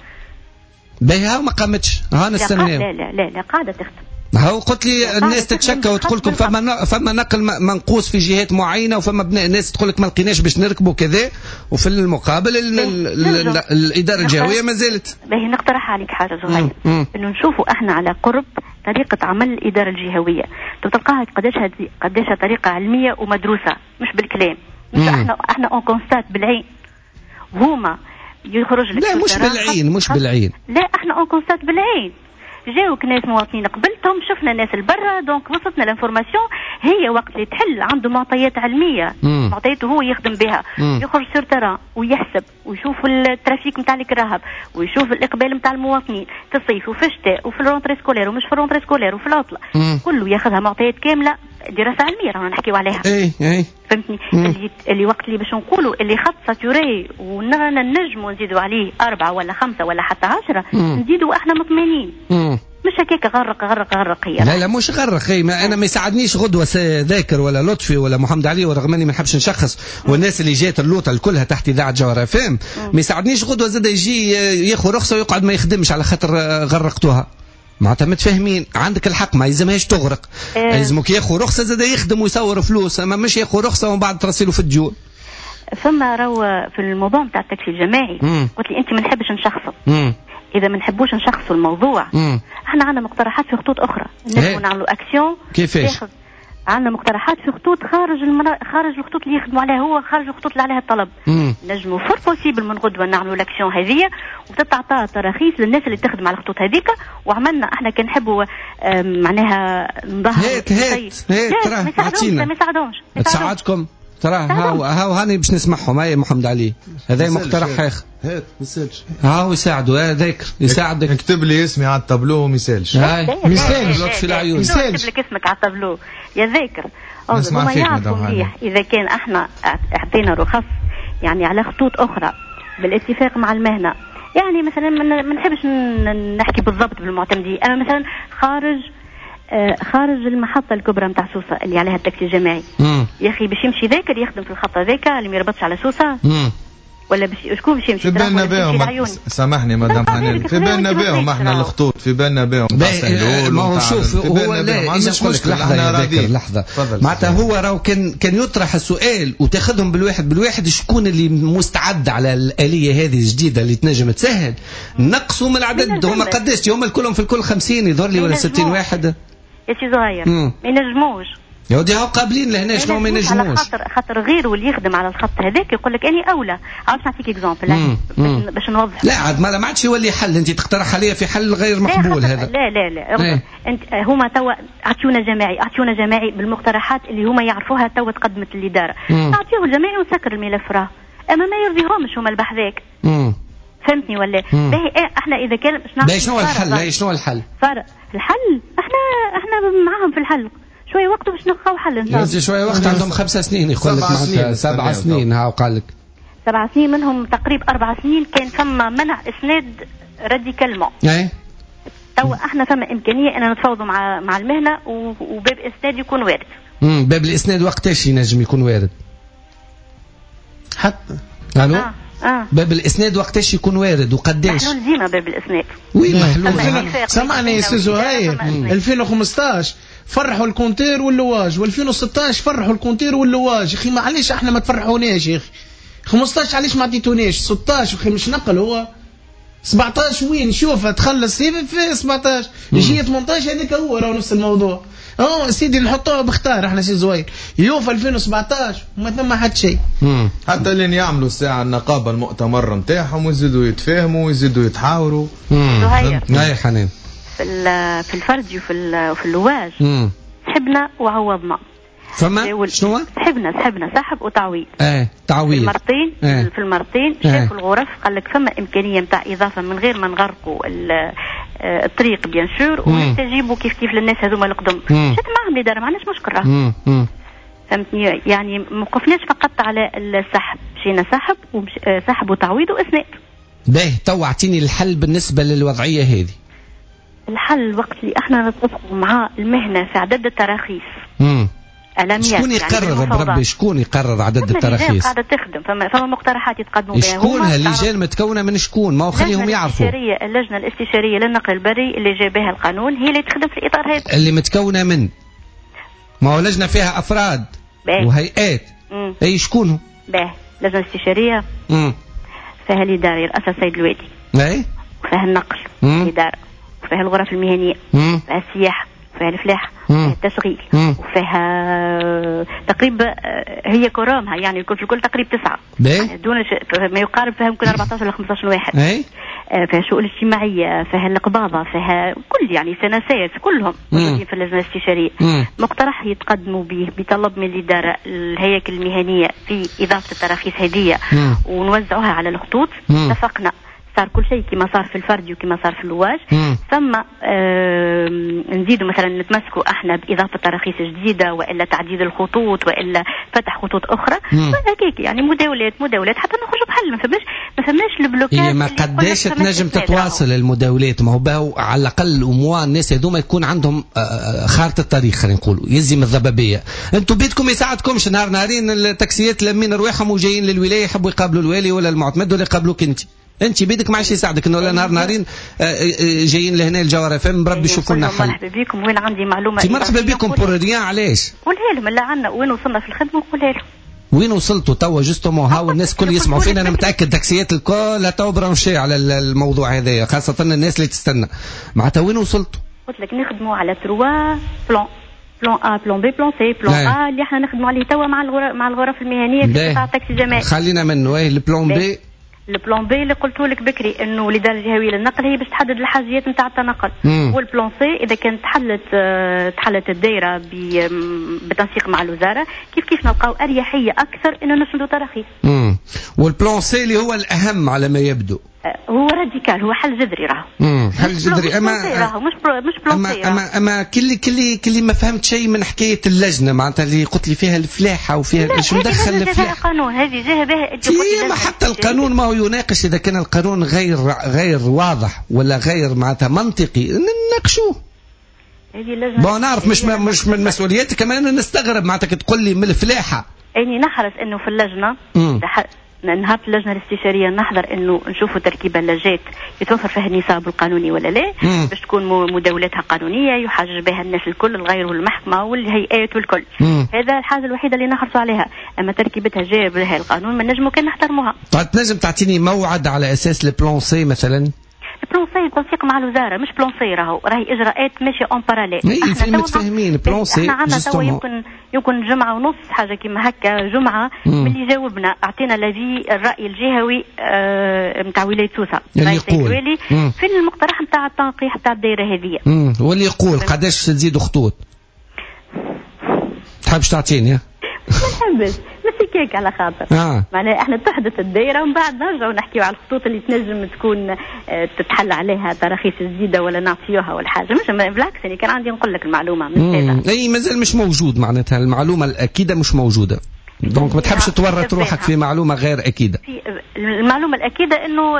باهي هاو ما قامتش، ها نستناو. لا لا لا لا قاعدة تخدم. هاو قلت لي الناس تتشكى وتقول لكم فما فما نقل منقوص في جهات معينة، وفما ناس تقول لك ما لقيناش باش نركبوا كذا، وفي المقابل ال ال الادارة الجهوية ما زالت. باهي نقترح عليك حاجة زهير، انه نشوفوا احنا على قرب طريقه عمل الادارة الجهوية، تلقاها قداش قداش طريقه علمية ومدروسه، مش بالكلام، مش احنا احنا on constate بالعين، هما يخرج لك. لا مش بالعين، مش بالعين، لا احنا on constate بالعين. جاوك ناس مواطنين قبلتهم، شفنا ناس البرة، donc وصلتنا l'information. هي وقت اللي تحل عنده معطيات علمية، معطياته هو يخدم بها، مم. يخرج sur terrain ويحسب ويشوف ال trafic نتاع الكراهب ويشوف الاقبال نتاع المواطنين في الصيف وفي الشتاء وفي ال rentrée scolaire ومش في ال rentrée scolaire وفي العطلة، كله ياخذها معطيات كاملة، دراسة علمية رانا نحكيو عليها. اي اي فهمتني. اللي اللي وقت اللي باش نقولوا اللي خط saturé ونرانا نجموا نزيدوا عليه أربعة ولا خمسة ولا حتى عشرة، نزيدوا احنا مطمئنين. مش هكاك غرق غرق غرق هي. لا لا مش غرق هي، ما انا ما يساعدنيش غدوه ذاكر ولا لطفي ولا محمد علي، ورغم اني ما نحبش نشخص، والناس اللي جات اللوطه كلها تحت اذاعة جوهرة اف ام، ما يساعدنيش غدوه زاد يجي ياخذ رخصه ويقعد ما يخدمش على خاطر غرقتوها. معناتها متفاهمين، عندك الحق ما يلزمهاش تغرق، إيه. يلزمك ياخذ رخصه زاد يخدم ويصور فلوس، اما مش ياخذ رخصه ومن بعد ترسله في الديون. فما راهو في الموضوع نتاع التاكسي الجماعي، قلت لي انت ما نحبش نشخصه. اذا ما نحبوش نشخصوا الموضوع، مم. احنا عندنا مقترحات في خطوط اخرى نجموا نعملوا اكسيون. كيفاش؟ عندنا مقترحات في خطوط خارج المنا... خارج الخطوط اللي يخدموا عليها هو، خارج الخطوط اللي عليها الطلب. نجموا fort possible من غدوه نعملوا l'action هذه وتتعطى تراخيص للناس اللي تخدم على الخطوط هذيك. وعملنا احنا كان نحبوا معناها نظهر. هات هات هات تراه ما يساعدهمش، تساعدكم تراه. هاو هاو هاني باش نسمعهم. هاي محمد علي هذا مقترح اخر. هات ما يسالش، هاو يساعدوا هذاك يساعدك. اكتب لي اسمي على التابلو وما يسالش. ما يسالش لطفي العيون، يسالش اكتب لك اسمك على التابلو يا ذاكر. هما يعرفوا مليح اذا كان احنا اعطينا رخص يعني على خطوط اخرى بالاتفاق مع المهنة، يعني مثلا ما نحبش نحكي بالضبط بالمعتمدين، اما مثلا خارج خارج المحطة الكبرى نتاع سوسة اللي عليها التاكسي الجماعي، يا أخي باش يمشي ذاكر يخدم في الخط هذاك اللي ما يربطش على سوسة، مم. ولا باش شكون باش يمشي؟ في بالنا بهم، سامحني مدام حنان، في بالنا بهم احنا الخطوط، في بالنا بهم. ما هو شوف هو لا مش مشكلة، لحظة يا ذاكر لحظة، معناتها هو راهو كان كان يطرح السؤال وتاخذهم بالواحد بالواحد، شكون اللي مستعد على الآلية هذه الجديدة اللي تنجم تسهل نقصوا من العدد. هما قداش هما كلهم في الكل خمسين يظهر لي ولا ستين واحد يا سي زهير، ما ينجموش يا ودي، هاو قابلين لهنا شنو ما ينجموش. على خاطر خاطر غيره اللي يخدم على الخط هذاك يقول لك اني اولى. عاوز نعطيك exemple باش نوضح. لا عاد ما عادش يولي حل، انت تقترح عليا في حل غير مقبول هذا. لا لا لا ايه. انت هما توا اعطيونا جماعي، اعطيونا جماعي بالمقترحات اللي هما يعرفوها توا تقدمت الادارة، نعطيوه الجماعي ونسكر الملف راه، اما ما يرضيهمش هما البحذاك. فهمتني ولا؟ باهي احنا اذا كان باهي شنو الحل؟ شنو الحل؟ فرق الحل احنا احنا معاهم في الحل شوية وقت باش نلقاو حل ان شاء الله. شوية وقت عندهم خمسة سنين يقول لك معناتها سبع سنين، هاو قال لك سبع سنين منهم تقريبا اربع سنين كان فما منع اسناد radicalement. اي تو احنا فما امكانية ان نتفاوضوا مع مع المهنة وباب اسناد يكون وارد. امم باب الاسناد وقتاش ينجم يكون وارد؟ حتى الو آه. آه. باب الاسناد وقتاش يكون وارد وقداش؟ محلول ديما باب الاسناد. oui محلول. سامعني يا سي زهير، ألفين وخمسطاش فرحوا ال compteur واللواج، وألفين وستطاش فرحوا ال compteur واللواج. يا اخي معليش احنا ما تفرحوناش يا اخي. خمسطاش علاش ما عطيتوناش؟ ستطاش اخي مش نقل هو سبعطاش وين شوفها تخلص في سبعطاش يجي ثمنطاش هذاك هو راهو نفس الموضوع. اه سيدي نحطوها بختار احنا سي زهير، اليوم في ألفين وسبعطاش ما ثم حد شيء. حتى لين يعملوا الساعة النقابة المؤتمر نتاعهم ويزيدوا يتفاهموا ويزيدوا يتحاوروا. اي حنان في في الفردي وفي وفي اللواج سحبنا وعوضنا. فما شنو؟ سحبنا سحبنا سحب وتعويض. ايه تعويض في المرتين. ايه. في المرتين شافوا الغرف قال لك فما امكانية نتاع اضافه من غير ما نغرقوا الطريق bien sûr، ونستجيبوا كيف كيف للناس هذوما القدم. مشات معهم الادارة ما عندناش مشكل راه. فهمتني؟ يعني ما وقفناش فقط على السحب، مشينا سحب ومش... سحب وتعويض واسناد. باهي تو اعطيني الحل بالنسبة للوضعيه هذه. الحل وقت اللي احنا نتفقوا مع المهنة في عدد التراخيص. امم شكون يقرر بربي؟ شكون يقرر عدد التراخيص؟ قاعدة تخدم، فما فما مقترحات يتقدموا بها. شكون هاللجان متكونه من شكون؟ ما هو خليهم يعرفوا. اللجنة الاستشارية للنقل البري اللي جابها القانون هي اللي تخدم في الاطار هذا. اللي متكونه من؟ ما هو لجنة فيها افراد باه. وهيئات. مم. اي شكون؟ باه لجنة استشارية امم فيها الادارة يرأسها السيد الوالي. اي وفيها النقل الادارة، وفيها الغرف المهنية، وفيها السياحة، وفيها الفلاحة، وفيها التشغيل، وفيها تقريبا هي كرامها يعني الكل في الكل تقريبا تسعة يعني دون ش... ما يقارب فيها يمكن أربعطاش ولا خمسطاش واحد. اي فيها الشؤون الاجتماعية، فيها القباضه، فيها كل يعني سنسات كلهم موجودين في اللجنة الاستشارية. مم. مقترح يتقدموا به بطلب من الادارة الهياكل المهنية في اضافه التراخيص هذه ونوزعوها على الخطوط. اتفقنا صار كل شيء كما صار في الفردي وكما صار في اللواج. ثم آه نزيدوا مثلا نتمسكوا احنا باضافة تراخيص جديدة والا تعديل الخطوط والا فتح خطوط اخرى هكاك يعني مداولات مداولات حتى نخرجوا بحل. ما فماش ما فماش ال blocage. هي ما قداش تنجم تتواصل المداولات؟ ما هو باهو على الاقل au moins الناس هذوما يكون عندهم خارطة الطريق خلينا نقولوا يزي من الضبابيه. انتم بيتكم يساعدكمش نهار نهارين التاكسيات لمين رواحهم وجايين للولاية يحبوا يقابلوا الوالي ولا المعتمد ولا يقابلوك انت. انت بيدك ما عادش يساعدك انه لا نهار نهارين جايين لهنا الجوهرة اف ام بربي شوفوا لنا حل. مرحبا بكم، وين عندي معلومة مرحبا بكم pour rien. علاش؟ قولها لهم اللي عندنا وين وصلنا في الخدمة وقولها لهم وين وصلتوا توا justement. هاو الناس الكل يسمعوا فينا، انا متاكد تاكسيات الكل تو branchés على الموضوع هذايا، خاصة الناس اللي تستنى. معناتها وين وصلتوا؟ قلت لك نخدموا على trois plans، plan A، plan B، plan C. plan A اللي احنا نخدموا عليه توا مع الغرف مع الغرف المهنية في قطاع التاكسي الجماعي. خلينا منه. ايه ال plan B؟ ال plan B اللي قلت لك بكري انه الادارة الجهوية للنقل هي باش تحدد الحاجيات نتاع التنقل. وال plan C اذا كانت تحلت تحلت الدائرة بتنسيق مع الوزارة كيف كيف نلقاو اريحية اكثر انه نسندوا تراخيص. امم وال plan C اللي هو الاهم على ما يبدو هو radical، هو حل جذري راهو. امم حل جذري. اما راهو مش pro مش plan اما اما, أما كل كل كل ما فهمت شيء من حكاية اللجنة معناتها اللي قلت لي فيها الفلاحة وفيها شو مدخل الفلاحة؟ القانون هذه جهة بها. ما حتى القانون ما هو يناقش اذا كان القانون غير غير واضح ولا غير معناتها منطقي نناقشوه. هذه اللجنة bon نعرف مش مش من مسؤوليتك كمان نستغرب معناتها تقول لي من الفلاحة. اني نحرص انه في اللجنة نهار اللجنة الاستشارية نحضر انه نشوفوا تركيب اللجات يتوفر فيها النصاب القانوني ولا لا، باش تكون مداولاتها قانونية يحاجج بها الناس الكل الغير والمحكمة والهيئات والكل. مم. هذا الحاجة الوحيدة اللي نحرصوا عليها، اما تركيبتها جاب لها القانون ما نجموا كان نحترموها. طيب تنجم تعطيني موعد على اساس ال plan C مثلا؟ plan C تنسيق مع الوزارة مش plan C، راهو راهي اجراءات ماشية en parallèle. اي في متفاهمين plan C. احنا عندنا توا يمكن يمكن جمعه ونص حاجة كيما هكا، جمعه من اللي جاوبنا اعطينا l'avis الراي الجهوي نتاع آه ولاية سوسة اللي يقول في المقترح نتاع التنقيح نتاع الدائرة هذه. واللي يقول قداش تزيدوا خطوط؟ تحبش تعطيني؟ ما نحبش ماشي كيك على خاطر آه. معناها احنا تحدث الدائرة ومن بعد نرجعوا نحكيو على الخطوط اللي تنجم تكون تتحل عليها تراخيص جديدة ولا نعطيوها ولا حاجة. مش بالعكس يعني كان عندي نقول لك المعلومة مش هذا. اي مازال مش موجود معناتها المعلومة الاكيده مش موجودة، donc ما تحبش تورط روحك في معلومة غير اكيدة. في المعلومة الاكيده انه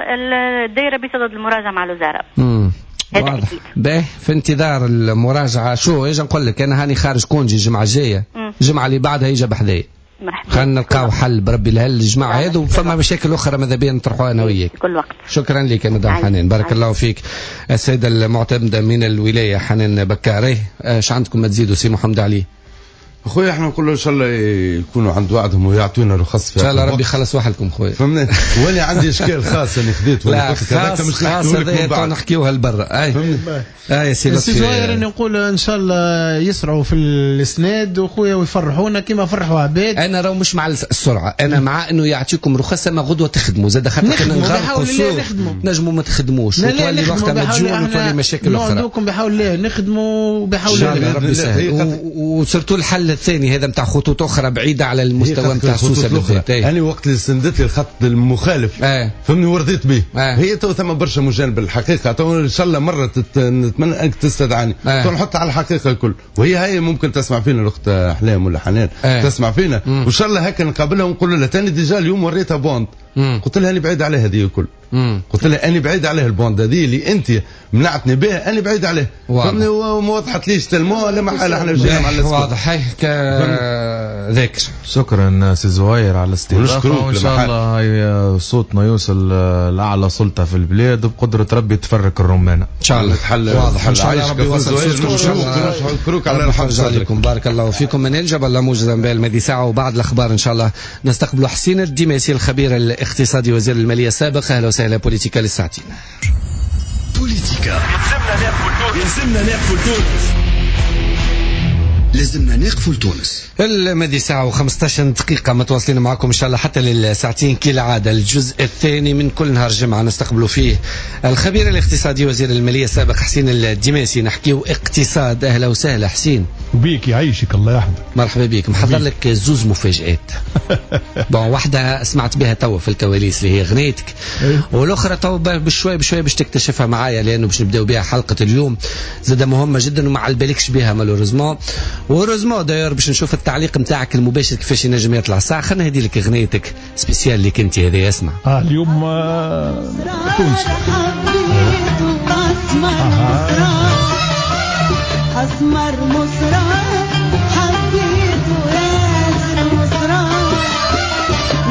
الدائرة بصدد المراجعة مع الوزارة. امم واضح. باهي في انتظار المراجعة. شو اجي نقول لك انا هاني خارج congé الجمعة الجاية، الجمعة اللي بعدها يجي بحذايا. خلينا نلقاو حل بربي لهالجماعه هذو، وفما مشاكل اخرى ماذا بيا نطرحوها انا وياك. كل وقت. شكرا لك يا مدام حنان، بارك الله فيك. السيدة المعتمدة من الولاية حنان بكاري، اش عندكم ما تزيدوا سي محمد علي؟ خويا احنا نقولوا ان شاء الله يكونوا عند وعدهم ويعطونا رخص في ان شاء الله ربي يخلص وحدكم خويا، فهمني. وانا عندي اشكال خاص انا خذيت ولا خاص مش خاص هذا نحكيوها لبرا. اي اي سي سي زهير، انا نقول ان شاء الله يسرعوا في الاسناد وخويا ويفرحونا كما فرحوا عباد. انا راهو مش مع السرعة، انا مع انه يعطيكم رخص ما غدوه تخدموا زاد، خاطر كان نغرقوا السوق نجموا ما تخدموش وتولي وقتها مديون وتولي مشاكل اخرى. نوعدوكم بحول الله نخدموا بحول الله ربي يسهل. و surtout الحل الثاني هذا نتاع خطوط اخرى بعيدة على المستوى نتاع سوسة بالذات. انا وقت اللي سندت لي الخط المخالف آه. فهمني ورضيت به آه. هي تو ثم برشا مجانب الحقيقة، تو ان شاء الله مرة تت... نتمنى انك تستدعاني آه. تو نحط على الحقيقة الكل، وهي هي ممكن تسمع فينا الاخت احلام ولا حنان آه. تسمع فينا، وان شاء الله هكا نقابلها ونقول لها ثاني déjà اليوم وريتها bande، قلت لها انا بعيد عليها هذه الكل، قلت لها انا بعيد عليها ال bande هذه اللي انت منعتني بها، انا بعيد عليه، فهمني. وما وضحتليش tellement لا محالة احنا جينا مع واضح. هاي ذاكر. شكرا سي زهير على الاستضافة، وان شاء الله صوتنا يوصل لاعلى سلطة في البلاد وبقدره ربي تفرك الرمانه ان شاء الله. واضح ان شاء الله ربي يوصل صوتكم. نشكرك على الحرص عليكم، بارك الله فيكم. منال جبل الله موجز انباء الماضي ساعة، وبعد الاخبار ان شاء الله نستقبل حسين الديماسي الخبير الاقتصادي وزير المالية السابق. اهلا وسهلا. بوليتيكا للساعتين. بوليتيكا يلزمنا نقفوا لتونس، لازمنا نقفوا لتونس. الماضي ساعة وخمسطاش دقيقة متواصلين معكم إن شاء الله حتى للساعتين كالعادة. الجزء الثاني من كل نهار جمعة نستقبلوا فيه الخبير الاقتصادي وزير المالية السابق حسين الديماسي، نحكيو اقتصاد. أهلا وسهلا حسين. وبيك يعيشك الله يحفظك. مرحبا بك. محضر لك زوز مفاجآت. bon واحدة سمعت بها توا في الكواليس اللي هي غنيتك، والأخرى توا بشوي بشوي باش تكتشفها معايا، لأنه باش نبداو بها حلقة اليوم زادة مهمة جدا وما على بالكش بها malheureusement و heureusement d'ailleurs باش نشوف التعليق نتاعك المباشر كيفاش ينجم يطلع. ساعة خلينا نهدي لك غنيتك spéciale اللي كنت هذه. اسمع. اه اليوم آه تونس. اسمر مصرار حبيته ياسر مصرار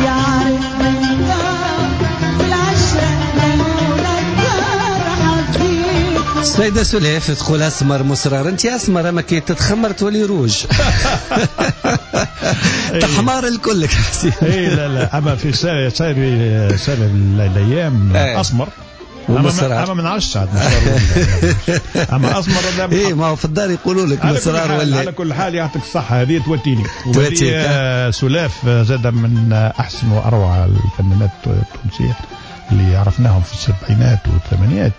يعرف من دار في العشرة لولا الدار حبيته. السيدة سلاف تقول اسمر مصرار، انت اسمر اما كي تتخمر تولي روج. تحمار الكل حسين. اي لا لا اما في سائر سائر الايام اسمر ومصرار. اما ما نعرفش عاد اما اسمر ولا اي ما هو في الدار يقولوا لك مصرار ولا. على كل حال يعطيك الصحة هذه توتيني. وهذه سلاف زاد من احسن واروع الفنانات التونسية اللي عرفناهم في السبعينات والثمانينات.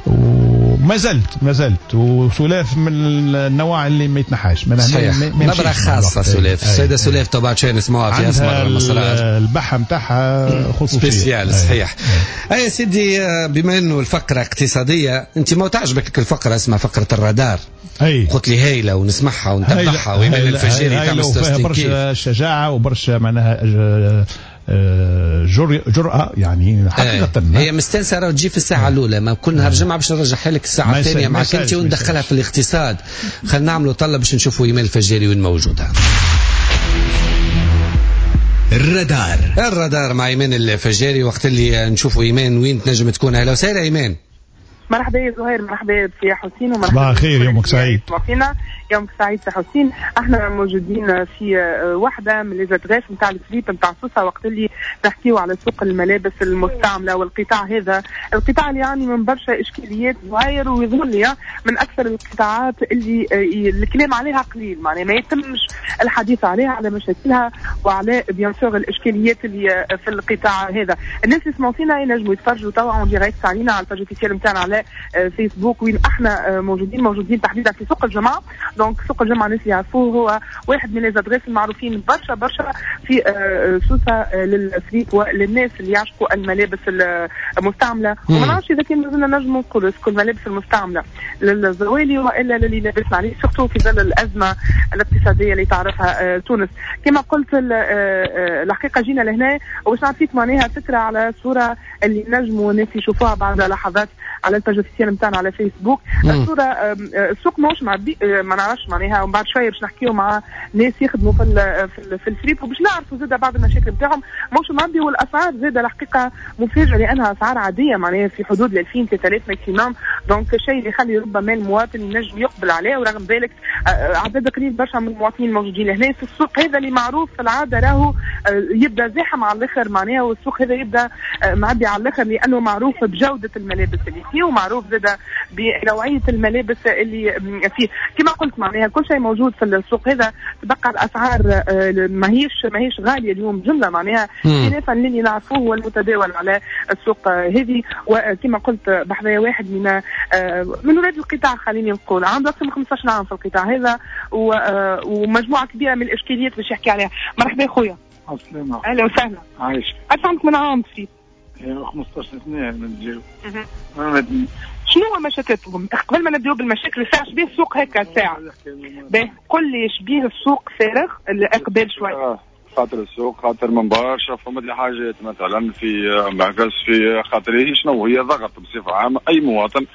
وما زلت ما زلت وسلاف من النوع اللي ما يتنحاش. صحيح، نبرة خاصة سلاف. السيدة سلاف طبعا شوية نسمعوها في اسمر المصرار، البحة نتاعها خصوصية spéciale. صحيح. اي سيدي، بما انه الفقرة اقتصادية، انت ما تعجبك الفقرة اسمها فقرة الرادار. أي. قلت لي هايلة ونسمعها ونتبعها وإيمان الفجاري تعمل فيها برشا شجاعة وبرشا معناها جرأة يعني حقيقة. هي مستانسة راه تجي في الساعة الأولى، ما كل نهار جمعة باش نرجعها لك الساعة الثانية معك أنت وندخلها في الاقتصاد. خلينا نعملوا طلة باش نشوفوا إيمان الفجاري وين موجودة. الرادار. الرادار مع إيمان الفجاري، وقت اللي نشوفوا إيمان وين تنجم تكون. أهلا وسهلا إيمان. مرحبا يا زهير، مرحبا يا حسين، ومرحبا صباح الخير، يومك سعيد. يومك سعيد يا حسين. احنا موجودين في واحدة من les adresses نتاع الفليب نتاع سوسة، وقت اللي نحكيو على سوق الملابس المستعملة والقطاع هذا، القطاع اللي يعاني من برشا اشكاليات زهير، ويظهر لي من اكثر القطاعات اللي الكلام عليها قليل، معناها ما يتمش الحديث عليها، على مشاكلها وعلى bien sûr الاشكاليات اللي في القطاع هذا. الناس اللي يسمعوا فينا ينجموا يتفرجوا توا en direct علينا على ال page officielle نتاعنا على فيسبوك وين احنا موجودين، موجودين تحديدا في سوق الجمعة. donc سوق الجمعة الناس يعرفوه، هو واحد من les adresses المعروفين برشا برشا في سوسة للفريق وللناس اللي يعشقوا الملابس المستعملة. وما نعرفش اذا كان مازلنا نجموا نقولوا est-ce que الملابس المستعملة للزوالي والا للي لابس عليه، surtout في ظل الازمة الاقتصادية اللي تعرفها تونس. كما قلت الحقيقة جينا لهنا وباش نعطيك معناها فكرة على صوره اللي نجموا الناس يشوفوها بعد لحظات على ال page officielle نتاعنا على فيسبوك. الصورة السوق ماهوش معبي، ما نعرفش معناها، ومن بعد شوية باش نحكيو مع ناس يخدموا في في الفريب وباش نعرفوا زاده بعض المشاكل نتاعهم. ماهوش معبي، والاسعار زاده الحقيقة مفاجاة لانها اسعار عادية، معناها في حدود ألفين ثلاثة آلاف maximum. donc الشيء اللي يخلي ربما المواطن ينجم يقبل عليه. ورغم ذلك عدد قليل برشا من المواطنين الموجودين هنا في السوق هذا اللي معروف في العادة راهو يبدا زاحم على الاخر معناها، والسوق هذا يبدا معبي على الاخر لانه معروف بجوده الملابس اللي فيه ومعروف زاده بنوعيه الملابس اللي فيه. كما قلت معناها كل شيء موجود في السوق هذا، تبقى الاسعار ماهيش ماهيش غالية اليوم جملة معناها خلافا للي نعرفوه والمتداول على السوق هذه. وكما قلت بحذايا واحد من من ولاد القطاع، خليني نقول عنده اكثر من خمسطاش عام في القطاع هذا ومجموعة كبيرة من الاشكاليات باش يحكي عليها. مرحبا خويا. السلامة. اهلا وسهلا. عايش. اش عندك من عام في؟ خمسطاش سنة من شنو هو مشاكلكم؟ قبل ما نبداو بالمشاكل الساعة شبيه السوق هكا الساعة. باهي قل لي شبيه السوق فارغ الاقبال شوي. خاطر السوق خاطر من برشا فما لي حاجات مثلا في معكس في خاطر هي شنو هي ضغط بصفة عامة اي مواطن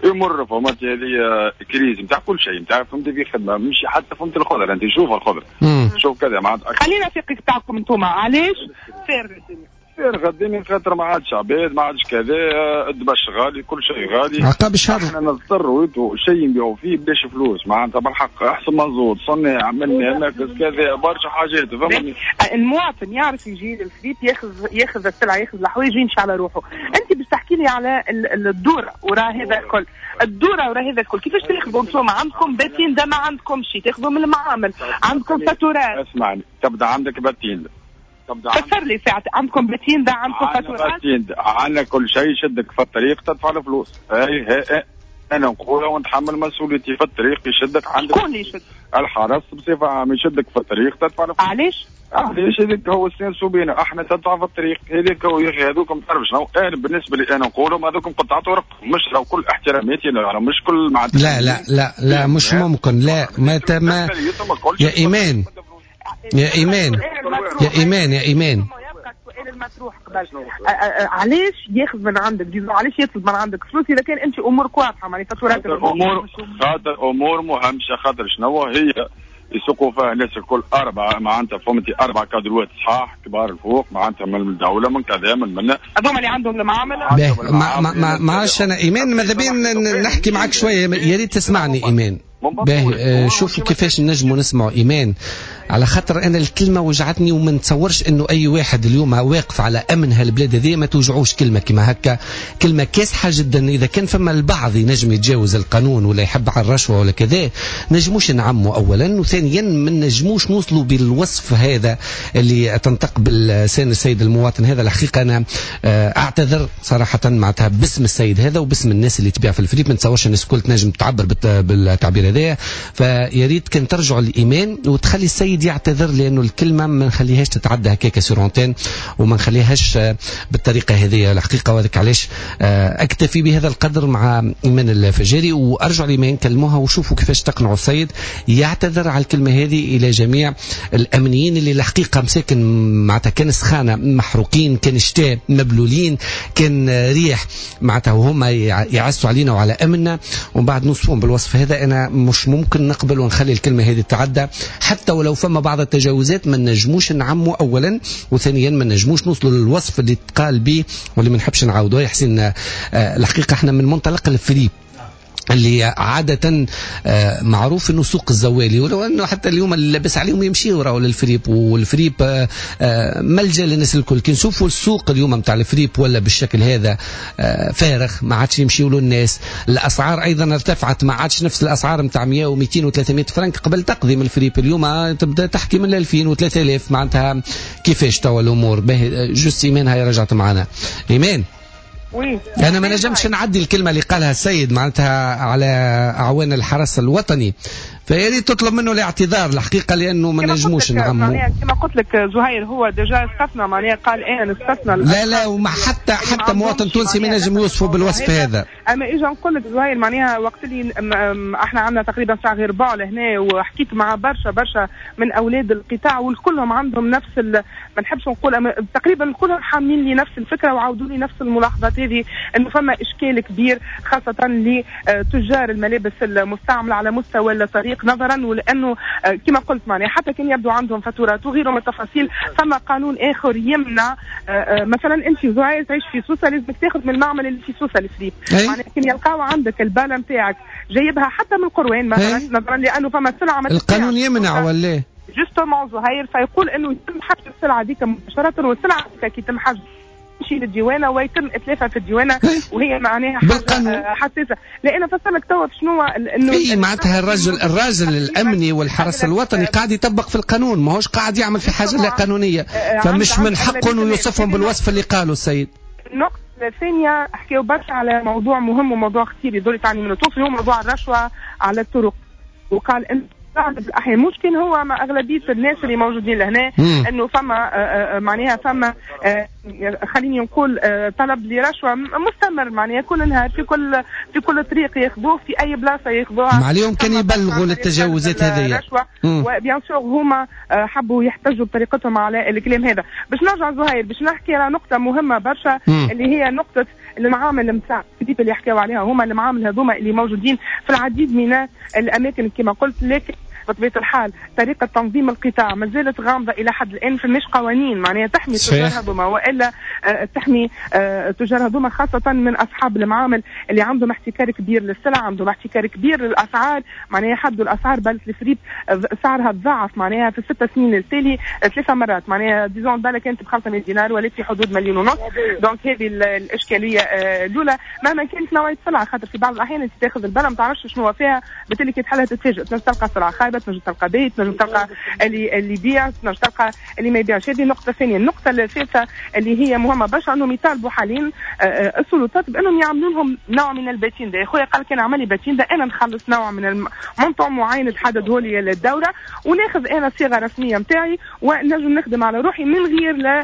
يمر فما هذه crise نتاع كل شيء نتاع فهمتي في خدمة مش حتى فهمت الخضرة انت شوف الخضرة شوف كذا معناتها. خلينا في قطاعكم انتم علاش فارغ الدنيا؟ فارغ الدنيا خاطر ما عادش عباد ما عادش كذا الدبش غالي كل شيء غالي عقاب الشهر احنا نضطروا شيء نبيعوا فيه بلاش فلوس معناتها بالحق احسن منزود صناع من مركز كذا برشا حاجات فهمتني. المواطن يعرف يجي للفريب ياخذ ياخذ السلعة ياخذ الحوايج ويمشي على روحه. انت باش تحكي لي على الدورة وراء هذا الكل، الدورة وراء هذا الكل كيفاش تاخذوا انتم؟ عندكم patente ما عندكم شيء تاخذوا من المعامل، عندكم فاتورات. اسمعني تبدا عندك patente فسر لي ساعة عندكم patente عندكم فاتورات عندنا كل شيء يشدك في الطريق تدفع الفلوس. اي هي انا نقولها ونتحمل مسؤوليتي في الطريق يشدك عندك. شكون اللي يشد؟ الحرس بصفة عامة يشدك في الطريق تدفع الفلوس. علاش؟ علاش هذاك هو السنسو بينا احنا تدفع في الطريق هذاك هو يا اخي هذوكم تعرف شنو انا بالنسبة لي انا نقولهم هذوكم قطعة ورق مش لو كل احتراماتي انا مش كل مع لا لا لا لا مش ممكن لا ما ما يا ايمان يا إيمان يا إيمان يا إيمان السؤال المطروح قبل علاش ياخذ من عندك disons علاش يطلب من عندك فلوس اذا كان انت امورك واضحة معناها فاتورات امور خاطر امور مهمشه خاطر شنو هي يسوقوا فيها الناس الكل اربعة معناتها فهمتي اربع كادروات صحاح كبار الفوق معناتها من الدولة من كذا من من هذوما اللي عندهم المعاملة. ما ما ما عادش انا ايمان ماذا بينا نحكي معك شوية يا ريت تسمعني ايمان. باهي شوفوا كيفاش نجموا نسمعوا ايمان على خاطر انا الكلمة وجعتني وما نتصورش انه اي واحد اليوم واقف على امن هالبلاد هذه ما توجعوش كلمة كما هكا، كلمة كاسحه جدا. اذا كان فما البعض ينجم يتجاوز القانون ولا يحب على الرشوة ولا كذا نجموش نعموا اولا، وثانيا ما نجموش نوصلوا بالوصف هذا اللي تنطق باللسان السيد المواطن هذا. الحقيقة انا اعتذر صراحة معناتها باسم السيد هذا وباسم الناس اللي تبيع في الفريب، ما نتصورش الناس الكل تنجم تعبر بالتعبير هذا. فيا ريت كان ترجعوا للايمان وتخلي السيد يعتذر لانه الكلمة ما نخليهاش تتعدى هكاك sur antenne وما نخليهاش بالطريقة هذه الحقيقة. وهذاك علاش اكتفي بهذا القدر مع ايمان الفجاري وارجع لايمان كلموها وشوفوا كيفاش تقنعوا السيد يعتذر على الكلمة هذه الى جميع الامنيين اللي الحقيقة مساكن معناتها كان سخانه محروقين، كان شتاء مبلولين، كان ريح معناتها وهم يعسوا علينا وعلى امننا ومن بعد نوصفهم بالوصف هذا. انا مش ممكن نقبل ونخلي الكلمة هذه تتعدى حتى ولو فما بعض التجاوزات ما نجموش نعموا اولا، وثانيا ما نجموش نوصلوا للوصف اللي تقال به واللي ما نحبش نعاودوه. يا حسين الحقيقة احنا من منطلق الفريب اللي عادة معروف انه سوق الزوالي، ولو انه حتى اليوم اللي لابس عليهم يمشيوا راهو للفريب، والفريب ملجأ للناس الكل. كي نشوفوا السوق اليوم نتاع الفريب ولا بالشكل هذا فارغ ما عادش يمشيوا له الناس، الاسعار ايضا ارتفعت ما عادش نفس الاسعار نتاع مية ومئتين وثلاثمية فرنك قبل تقضي من الفريب، اليوم تبدا تحكي من ألفين وثلاثة آلاف معناتها كيفاش توا الامور. باهي juste ايمان هاي رجعت معنا. ايمان oui. أنا ما نجمش نعدي الكلمة اللي قالها السيد معناتها على أعوان الحرس الوطني، فيا ريت تطلب منه الاعتذار الحقيقة لأنه ما نجموش نعمو. كما قلت لك زهير هو déjà استثنى معناها قال أنا استثنى. لا لا وما حتى حتى مواطن تونسي ما نجم يوصفه بالوصف هذا. أما إجا نقول لك زهير معناها وقت اللي احنا عندنا تقريبا ساعة غير ربع لهنا وحكيت مع برشا برشا من أولاد القطاع والكلهم عندهم نفس ال... ما نحبش نقول أما تقريبا كلهم حاملين لي نفس الفكرة وعاودوا لي نفس الملاحظات هذه انه فما اشكال كبير خاصة لتجار الملابس المستعملة على مستوى الطريق. التطبيق نظرا ولانه كما قلت معناها حتى كان يبدو عندهم فاتورات وغيره من التفاصيل، فما قانون اخر يمنع. مثلا انت زهير تعيش في سوسة لازمك تاخذ من المعمل اللي في سوسة الفريب، معناها كان يلقاو عندك الباله نتاعك جايبها حتى من القروان مثلا نظرا لانه فما سلعه القانون يمنع ولا justement زهير، فيقول انه يتم حجز السلعة ديك مباشرة، والسلعه ديك كي يتم حجز تمشي للديوانه ويتم اتلافها في الديوانه، وهي معناها حاجة حساسة. لان فصلك توا شنو انه اي معناتها الرجل الراجل الامني والحرس الوطني قاعد يطبق في القانون، ماهوش قاعد يعمل في حاجة لا قانونية، فمش من حقه انه يوصفهم بالوصف اللي قاله السيد. النقطة الثانية حكيوا برشا على موضوع مهم وموضوع خطير يدور تعني منه توصل، هو موضوع الرشوة على الطرق، وقال ان بعض الاحيان مش كان هو مع اغلبية الناس اللي موجودين لهنا انه فما معناها فما خليني نقول طلب لرشوه مستمر، معناها كل نهار في كل في كل طريق ياخذوه في اي بلاصة ياخذوها. عليهم كان يبلغوا للتجاوزات هذه و bien sûr هما حبوا يحتجوا بطريقتهم على الكلام هذا. باش نرجع زهير باش نحكي على نقطة مهمة برشا اللي هي نقطة المعامل نتاع اللي حكاو عليها هما، المعامل هذوما اللي موجودين في العديد من الاماكن كما قلت، لكن بطبيعة الحال طريقه تنظيم القطاع ما زالت غامضة الى حد الان، فماش قوانين معناها تحمي التجار هذوما والا تحمي التجار هذوما خاصة من اصحاب المعامل اللي عندهم احتكار كبير للسلع، عندهم احتكار كبير للاسعار، معناها حدوا الاسعار بالة الفريب سعرها تضاعف معناها في الست سنين التالي ثلاث مرات، معناها disons بالة كانت ب خمسمية دينار ولات في حدود مليون ونص. donc هذه الاشكالية الاولى مهما كانت نوعية السلعة، خاطر في بعض الاحيان انت تاخذ البله ما تعرفش شنو فيها، بالتالي كي تحلها تتفاجئ، تنجم تلقى سلعه خايبة، تنجم تلقى بيت، تنجم تلقى اللي اللي يبيع، تنجم تلقى اللي ما يبيعش. هذه النقطة الثانية. النقطة الثالثة اللي هي مهمة برشا انهم يطالبوا حاليا السلطات بانهم يعملوا لهم نوع من ال patente. يا خويا قال كان عمل لي patente انا نخلص نوع من ال montant معين تحدده لي الدولة وناخذ انا صيغة رسمية نتاعي ونجم نخدم على روحي من غير لا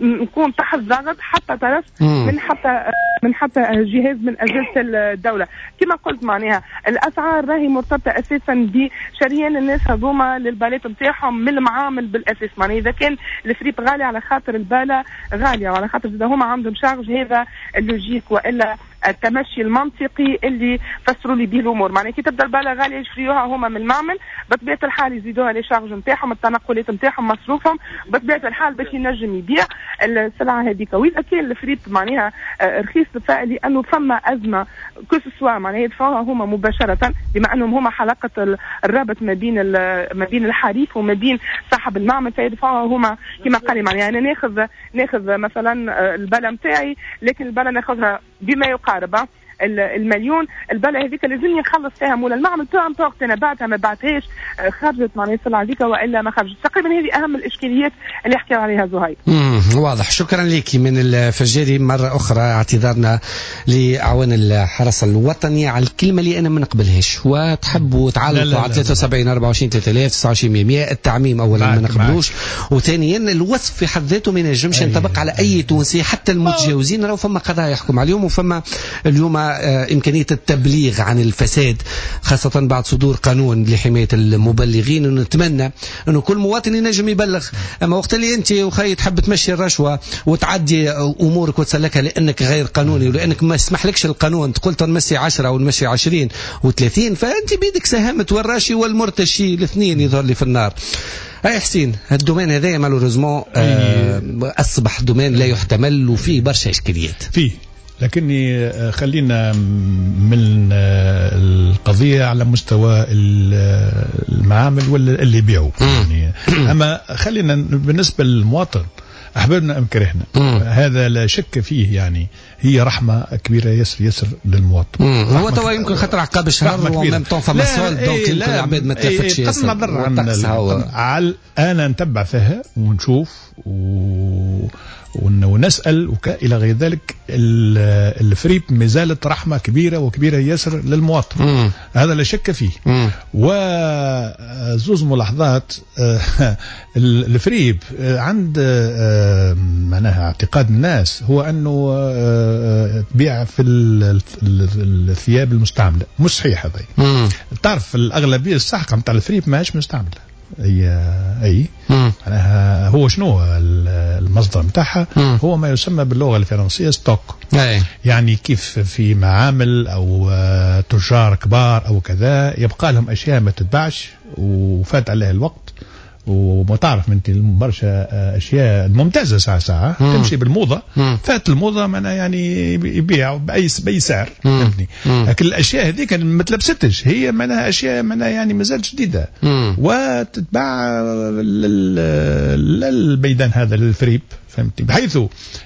نكون تحت ضغط حتى طرف من حتى من حتى جهاز من اجهزة الدولة. كما قلت معناها الاسعار راهي مرتبطة اساسا بشريان الناس هذوما للبالات نتاعهم من المعامل بالاساس، معناها اذا كان الفريب غالي على خاطر الباله غالية وعلى خاطر اذا هما عندهم charge، هذا ال logique والا التمشي المنطقي اللي فسروا لي به الامور. معناها كي تبدا الباله غالية يشريوها هما من المعمل، بطبيعة الحال يزيدوها les charges نتاعهم، التنقلات نتاعهم، مصروفهم، بطبيعة الحال باش ينجم يبيع السلعة هذيك. واذا كان الفريب معناها رخيص لانه فما ازمة que ce soit معناها يدفعوها هما مباشرة بما انهم هما حلقة الرابط ما بين ما بين الحريف وما بين صاحب المعمل، فيدفعوها هما كما قال معناها انا ناخذ ناخذ مثلا الباله نتاعي، لكن الباله ناخذها بما يقارب المليون، البلة هذيك لازمني نخلص فيها مول المعمل peu importe انا بعتها ما بعتهاش، خرجت معناها السلعة هذيك والا ما خرجت. تقريبا هذه اهم الاشكاليات اللي حكاو عليها زهير. امم واضح. شكرا لك من الفجاري. مرة اخرى اعتذارنا لاعوان الحرس الوطني على الكلمة اللي انا ما نقبلهاش، وتحبوا تعلقوا على ثلاثة وسبعين أربعة وعشرين ثلاثة آلاف تسعة وعشرين مية. التعميم اولا ما نقبلوش، وثانيا الوصف في حد ذاته ما ينجمش ينطبق على اي تونسي حتى المتجاوزين. راهو فما قضايا يحكم عليهم، وفما اليوم إمكانية التبليغ عن الفساد خاصة بعد صدور قانون لحماية المبلغين. ونتمنى أنه كل مواطن ينجم يبلغ. أما وقت اللي أنت وخي تحب تمشي الرشوة وتعدي أمورك وتسلكها لأنك غير قانوني ولأنك ما يسمحلكش القانون، تقول تنمشي عشرة أو نمشي عشرين وثلاثين، فأنت بيدك ساهمت، والراشي والمرتشي الاثنين يظهر لي في النار. اي حسين، ال domaine هذايا malheureusement أصبح domaine لا يحتمل وفيه برشا إشكاليات فيه. لكني خلينا من القضية على مستوى المعامل ولا اللي يبيعوا يعني. أما خلينا بالنسبة للمواطن، أحببنا أم كرهنا هذا لا شك فيه، يعني هي رحمة كبيرة يسر يسر للمواطن. هو توا يمكن خاطر عقاب شهر و même temps فما soldes، donc يمكن العباد ما تلفتش ياسر. عن أنا نتبع فيها ونشوف و ونسأل وإلى غير ذلك. الفريب مازالت رحمة كبيرة وكبيرة ياسر للمواطن. مم. هذا لا شك فيه. وزوز ملاحظات. الفريب عند معناها اعتقاد الناس هو أنه تبيع في الثياب المستعملة، مش صحيح هذا. تعرف الأغلبية الساحقة نتاع الفريب ماهيش مستعملة. اي اي معناها هو شنو المصدر نتاعها؟ هو ما يسمى باللغة الفرنسية stock. أي. يعني كيف في معامل او تجار كبار او كذا يبقى لهم اشياء ما تتباعش وفات عليها الوقت، وما تعرف انت برشا اشياء ممتازة ساعة ساعة مم. تمشي بالموضه. مم. فات الموضة معناها يعني يبيع باي باي سعر، فهمتني؟ لكن الاشياء هذيك ما تلبستش، هي معناها اشياء معناها يعني مازالت جديدة وتتباع للميدان هذا للفريب، فهمتني؟ بحيث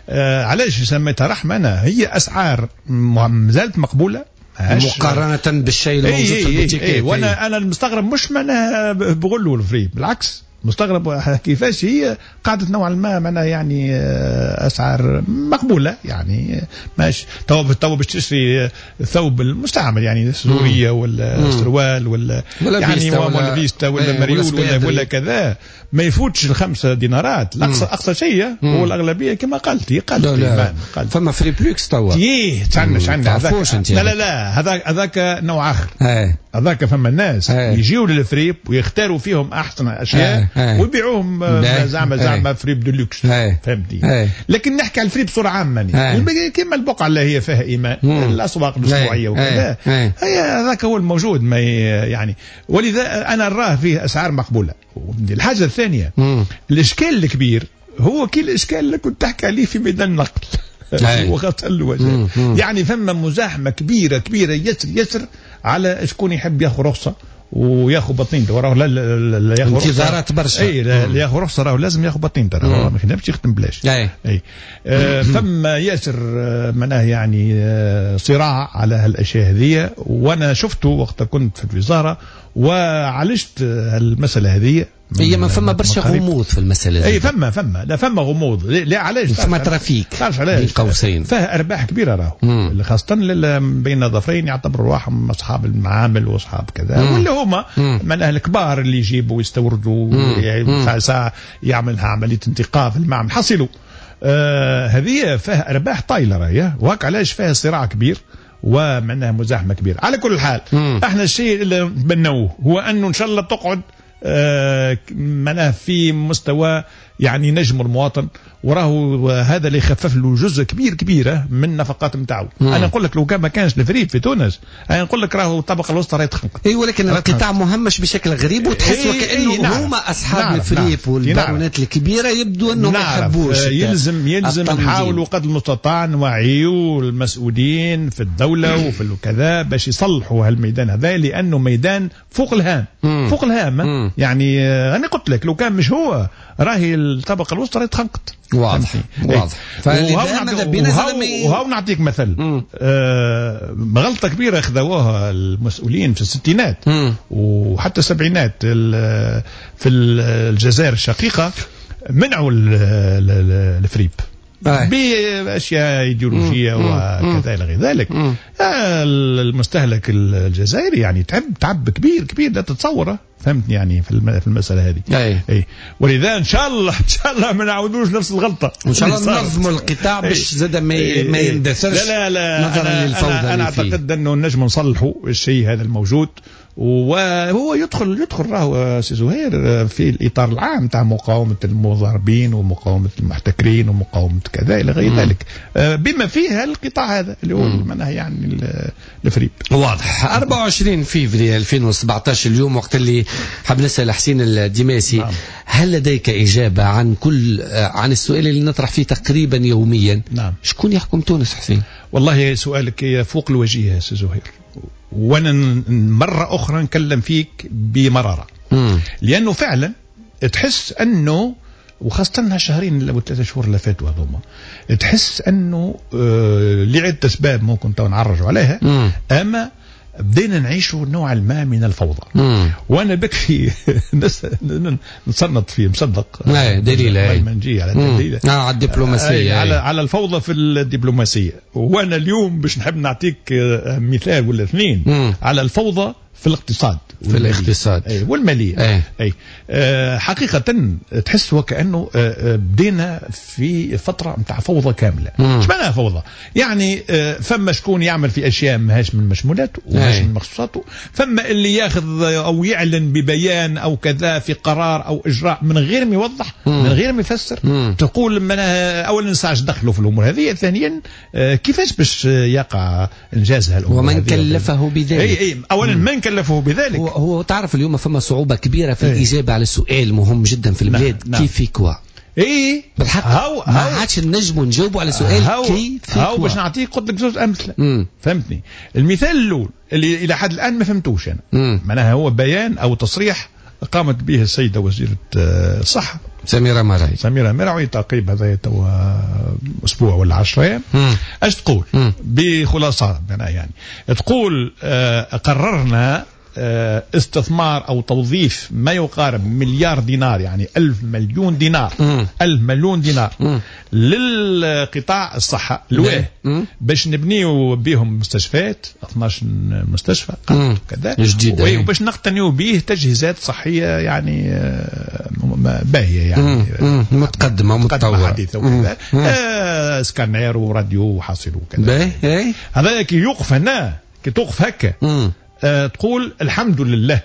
آه علاش سميتها رحمه انا، هي اسعار مازالت مقبولة مقارنة بالشيء الموجود في البوتيكات. وانا انا المستغرب مش معناها بغلو الفريب، بالعكس مستغرب كيفاش هي قعدت نوعا ما معناها يعني اسعار مقبولة، يعني ماشي تو تو باش تشري ثوب المستعمل يعني سورية ولا سروال ولا يعني ولا فيستا ولا مريول ولا ولا كذا ما يفوتش الخمسة دينارات الاقصى اقصى شيء. هو الاغلبية كما قلت قالت لا لا. فما free luxe توا ايه تعنا عندنا هذاك، لا لا لا هذاك هذاك نوع اخر. هذاك فما الناس يجيو للفريب ويختاروا فيهم احسن اشياء ويبيعوهم زعما زعما fripes de luxe، فهمتني؟ لكن نحكي على الفريب بصورة عامة يعني كما البقعة اللي هي فيها ايمان الاسواق الاسبوعية وكذا، هي هذاك هو الموجود ما يعني، ولذا انا نراه فيه اسعار مقبولة. الحاجة الثانية الاشكال الكبير هو كي الاشكال اللي كنت تحكي عليه في ميدان النقل وخاصة الوجه، يعني فما مزاحمه كبيرة كبيرة يسر يسر على شكون يحب ياخذ رخصه وياخذ بطين وراه لا لا ياخذ انتظارات برشا. اي لا ياخذ رخصه راهو لازم ياخذ بطين ترى ما يخدمش يخدم بلاش. اي, أي. آه فما ياسر معناه يعني آه صراع على هالاشياء هذه، وانا شفته وقت كنت في الوزارة وعالجت المسالة هذه. هي ما فما برشا غموض في المسألة. اي فما فما لا فما غموض، لا علاش فما trafic، تعرف علاش قوسين فيها ارباح كبيرة راهو، خاصة بين ظفرين يعتبروا رواحهم اصحاب المعامل واصحاب كذا، واللي هما من اهل الكبار اللي يجيبوا ويستوردوا يعني ساعة يعملها عملية انتقاء في المعمل حصلوا. آه هذه فيها ارباح طايله راهي، وهاك علاش فيها صراع كبير ومعناها مزاحمه كبيرة. على كل حال مم. احنا الشيء اللي نتمنوه هو انه ان شاء الله تقعد آه معناها في مستوى يعني نجم المواطن، وراهو هذا اللي يخفف له جزء كبير كبيرة من النفقات نتاعو. انا نقول لك لو كان ما كانش الفريب في تونس انا نقول لك راهو الطبقة الوسطى راهي تخنق. اي ولكن القطاع مهمش بشكل غريب، وتحس وكانه إيه هما اصحاب الفريب والبارونات الكبيرة يبدو انهم ما يحبوش. يلزم يلزم نحاولوا قدر المستطاع نوعيوا المسؤولين في الدولة وفي كذا باش يصلحوا هالميدان هذا، لانه ميدان فوق الهام. مم. فوق الهام. مم. يعني انا قلت لك لو كان مش هو راهي الطبقة الوسطى راهي تخنقت. واضح واضح. وهاو نعطيك مثل آه غلطه كبيرة خذوها المسؤولين في الستينات مم. وحتى السبعينات في الجزائر الشقيقة، منعوا الفريب باشياء ايديولوجية وكذا الى غير ذلك. المستهلك الجزائري يعني تعب تعب كبير كبير لا تتصوره، فهمتني يعني في المسالة هذه. أي. أي. ولذا ان شاء الله ان شاء الله ما نعاودوش نفس الغلطة، وان شاء الله ننظموا القطاع باش زاد ما ما يندثرش. لا لا لا نظرا أنا للفوضى. انا, أنا اعتقد انه نجم نصلحوا الشيء هذا الموجود، وهو يدخل يدخل راهو سي زهير في الاطار العام تاع مقاومة المضاربين ومقاومة المحتكرين ومقاومة كذا الى غير ذلك، بما فيها القطاع هذا اللي هو معناها يعني الفريب. واضح. أربعة وعشرين فيفري ألفين وسبعة عشر اليوم، وقت اللي حاب نسال حسين الدماسي، نعم. هل لديك اجابه عن كل عن السؤال اللي نطرح فيه تقريبا يوميا؟ نعم. شكون يحكم تونس حسين؟ والله سؤالك فوق الوجيه يا سي زهير، وانا مرة أخرى نكلم فيك بمرارة. مم. لأنه فعلا تحس أنه وخاصة هالشهرين أو ثلاثة شهور اللي فاتوا هذوما تحس أنه آه لعدة أسباب ممكن تو نعرجوا عليها. مم. أما بدينا نعيشوا نوعا ما من الفوضى. مم. وانا بكفي نصنط فيه مصدق دليل ما نجي على الدليل آه على الدبلوماسية، على على الفوضى في الدبلوماسية. وانا اليوم باش نحب نعطيك مثال ولا اثنين. مم. على الفوضى في الاقتصاد في الاقتصاد أي والمالية. أي. أي. أه حقيقة تحس وكأنه بدينا في فترة متاع فوضى كاملة. ايش معناها فوضى؟ يعني فما شكون يعمل في أشياء ماهاش من مشمولاته وماهاش من مخصوصاته، فما اللي ياخذ أو يعلن ببيان أو كذا في قرار أو إجراء من غير ما يوضح، من غير ما يفسر. مم. تقول معناها أولا ساعة دخلوا في الأمور هذه، ثانيا كيفاش باش يقع إنجاز هالأمور ومن كلفه بذلك. أي أي أولا من كلفه بذلك. هو, هو تعرف اليوم فما صعوبة كبيرة في الإجابة على السؤال مهم جدا في البلاد. نعم. كيف في كوا؟ اي بالحق هاو ما عادش نجموا نجاوبوا على سؤال كيف في هاو. باش نعطيك قلت لك زوج أمثلة. مم. فهمتني؟ المثال الأول اللي إلى حد الآن ما فهمتوش أنا، معناها هو بيان أو تصريح قامت به السيدة وزيرة الصحة سميرة مرعي. سميرة مرعي تقريبا هذا توا أسبوع ولا عشرة أيام. اش تقول؟ مم. بخلاصة يعني تقول آه قررنا آه استثمار أو توظيف ما يقارب مليار دينار، يعني ألف مليون دينار. مم. ألف مليون دينار. مم. للقطاع الصحة لواه باش نبنيو بهم مستشفيات اثناش مستشفى كذا جديدة، وباش نقتنيو به تجهيزات صحية يعني باهية يعني مم. متقدمة ومتطورة حديثة وكذا، آه سكانير وراديو وحاصل وكذا. هذا كي يوقف هنا، كي توقف هكا أه تقول الحمد لله.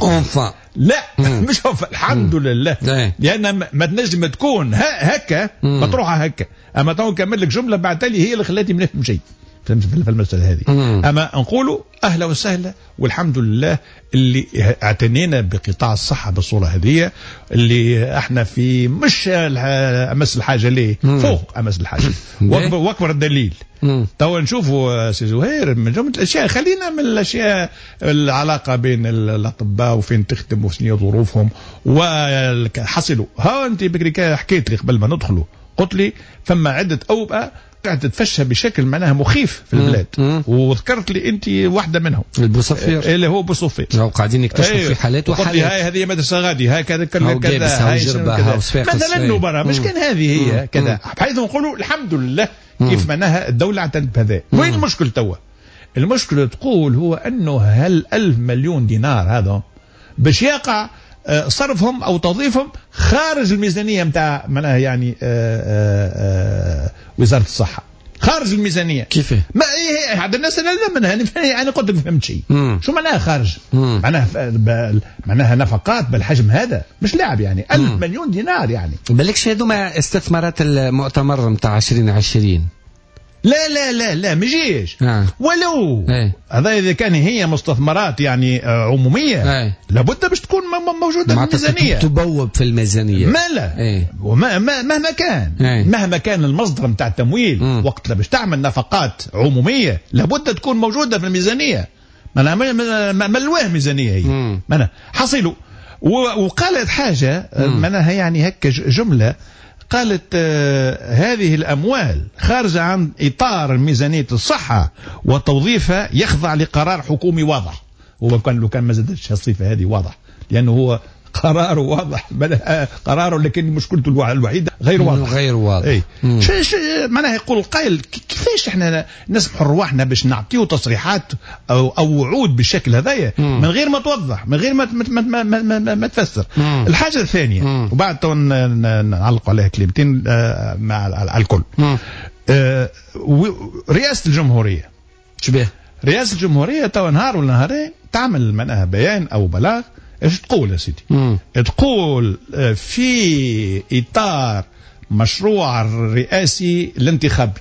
enfin لا. مم. مش enfin، الحمد مم. لله. لأن ما تنجم تكون هكا مطروحة هكا. أما تو نكمل لك جملة بعد تالي هي اللي خلاتني ما نفهم شيء في المسألة هذه. أما نقولوا أهلا وسهلا والحمد لله اللي اعتنينا بقطاع الصحة بالصورة هذه، اللي احنا في مش أمس الحاجة ليه فوق أمس الحاجة. وأكبر, وأكبر الدليل توا نشوفوا سي زهير من جملة الأشياء، خلينا من الأشياء العلاقة بين الأطباء وفين تخدم وشنو ظروفهم وحصلوا. ها أنت بكري حكيت لي قبل ما ندخلوا، قلت لي فما عدة أوبئة قاعدة تتفشى بشكل معناها مخيف في البلاد، وذكرت لي انت واحدة منهم البوصفير اللي هو بوصفير، قاعدين يكتشفوا أيوه. في حالات وحالات. هاي هذه مدرسه غادي، هاي كذا كذا كذا، هاي جربه، مثلا برا مش كان هذه هي كذا، بحيث نقولوا الحمد لله كيف معناها الدولة اعتنت بهذا. وين المشكل توا؟ المشكلة تقول هو انه هل ألف مليون دينار هذا باش يقع صرفهم او توظيفهم خارج الميزانية نتاع معناها يعني آآ آآ وزارة الصحة، خارج الميزانية. كيف؟ ما إيه عاد الناس انا منها انا قلت لك فهمت شيء. شو معناها خارج؟ معناها معناها نفقات بالحجم هذا مش لعب يعني ألف مليون دينار يعني. بالكش هذوما استثمارات المؤتمر نتاع عشرين عشرين. لا لا لا لا ما يجيش. آه. ولو ايه. هذا اذا كان هي مستثمرات يعني عموميه ايه. لابد باش تكون موجودة في الميزانية، تبوب في الميزانية. ما لا ايه. وما ما مهما كان ايه. مهما كان المصدر نتاع التمويل. مم. وقت باش تعمل نفقات عموميه لابد تكون موجودة في الميزانية. ما ما الواه ميزانية هي معناها حصلوا. وقالت حاجة معناها يعني هكا جملة، قالت آه هذه الأموال خارجة عن إطار ميزانية الصحة وتوظيفها يخضع لقرار حكومي واضح. هو كان لو كان ما زادتش الصفة هذه واضح، لأنه هو قراره واضح، قراره لكن مشكلته الوحيدة غير واضح. غير واضح. اي معناها يقول القائل كيفاش احنا نسمحوا رواحنا باش نعطيو تصريحات او او وعود بالشكل هذايا من غير ما توضح، من غير ما ما ما ما, ما, ما تفسر. مم. الحاجة الثانية مم. وبعد تو نعلق عليها كلمتين مع الكل. آه رئاسة الجمهورية شبيه رئاسة الجمهورية تو نهار ولا نهارين تعمل معناها بيان او بلاغ. ايش تقول يا سيدي؟ مم. تقول في اطار مشروع الرئاسي الانتخابي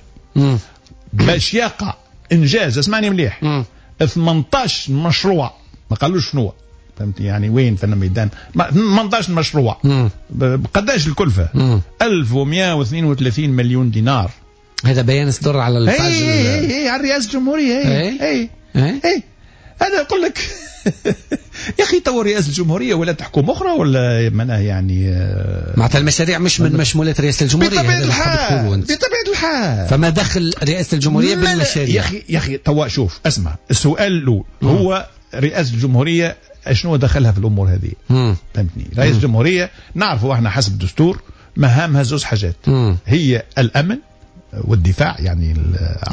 باش يقع انجاز، اسمعني مليح، ثمانية عشر مشروع، ما قالوش شنو، فهمتني يعني وين في الميدان، ثمانية عشر مشروع. قداش الكلفة؟ مم. ألف ومئة واثنين وثلاثين مليون دينار. هذا بيان صدر على ال page اي اي اي على الرئاسة الجمهورية. اي اي اي, اي. هذا يقول لك يا اخي تو رئاسة الجمهورية ولا تحكم اخرى ولا معناها يعني معناتها المشاريع مش من مشمولات رئاسة الجمهورية. بطبيعة الحال، بطبيعة الحال، فما دخل رئاسة الجمهورية بالمشاريع؟ يا اخي يا اخي توا شوف اسمع، السؤال الاول هو رئاسة الجمهورية شنو دخلها في الامور هذه؟ فهمتني؟ رئاسة الجمهورية نعرفوا احنا حسب الدستور مهامها زوج حاجات. مم. هي الامن، والدفاع يعني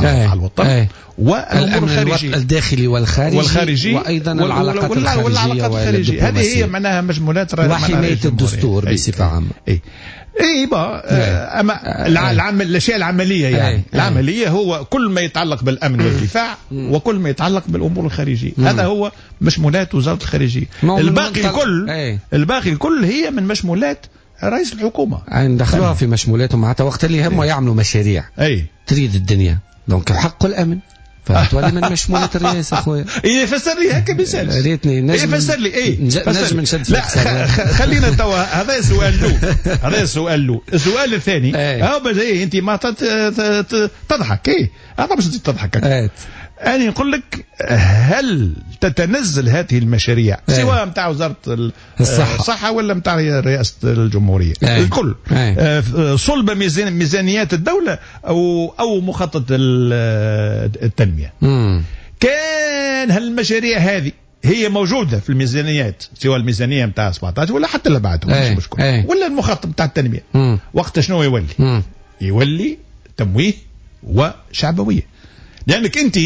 على الوطن ايه. والامور الخارجية الداخلي والخارجي والخارجي وايضا العلاقات الخارجية والعلاقات الخارجية. هذه هي معناها مشمولات وحماية الدستور ايه. بصفة عامة. اي اي با اما العمل الاشياء العملية يعني ايه. العملية هو كل ما يتعلق بالامن والدفاع وكل ما يتعلق بالامور الخارجية. مم. هذا هو مشمولات وزارة الخارجية. الباقي الكل ايه. الباقي الكل هي من مشمولات رئيس الحكومة. يعني دخلوها في مشمولاتهم حتى وقت اللي هم يعملوا مشاريع اي تريد الدنيا donc حق الامن فتولي من مشمولات الرئاسة خويا. اي فسر لي هكا ما يسالش. ريتني نجم فسر لي اي نجم نشد. لا خلينا توا هذا سؤال له هذا السؤال له. السؤال الثاني هاو ايه انت ما تضحك اي هذا باش تضحك. أنا نقول لك هل تتنزل هذه المشاريع سواء نتاع وزارة الصحة. الصحة ولا نتاع رئاسة الجمهورية أي. الكل أي. صلب ميزان ميزانيات الدولة أو أو مخطط التنمية. مم. كان هالمشاريع هذه هي موجودة في الميزانيات سواء الميزانية نتاع سبعطاش ولا حتى اللي بعدها مش مشكل ولا المخطط نتاع التنمية. مم. وقت شنو يولي؟ مم. يولي تمويه وشعبوية، لأنك أنت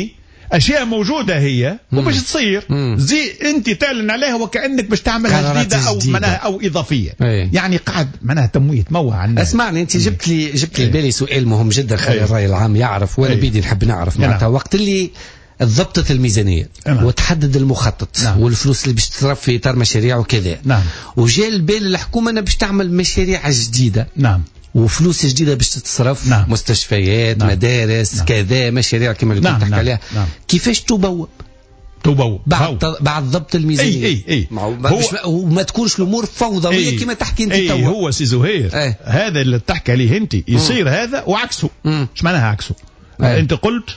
أشياء موجودة هي وباش تصير زي أنت تعلن عليها وكأنك باش تعملها جديدة أو معناها أو إضافية. أي. يعني قاعد معناها تمويه تموه على الناس. اسمعني أنت جبت لي جبت لي بالي سؤال مهم جدا خلي الرأي العام يعرف وأنا بيدي نحب نعرف معناتها وقت اللي ضبطت الميزانية نعم. وتحدد المخطط نعم. والفلوس اللي باش تصرف في إطار مشاريع وكذا نعم. وجاء البال الحكومة أنها باش تعمل مشاريع جديدة نعم. وفلوس جديدة باش تتصرف نعم. مستشفيات نعم. مدارس نعم. كذا مشاريع كما اللي نعم. كنت تحكي نعم. عليها نعم. كيفاش تبوب تبوب بعد ت... بعد ضبط الميزانية اي اي اي هو... وما تكونش الامور فوضوية أي. كما تحكي انت أي. توا هو سي زهير أي. هذا اللي تحكي عليه انت يصير هذا وعكسه. ايش معناها عكسه؟ أي. انت قلت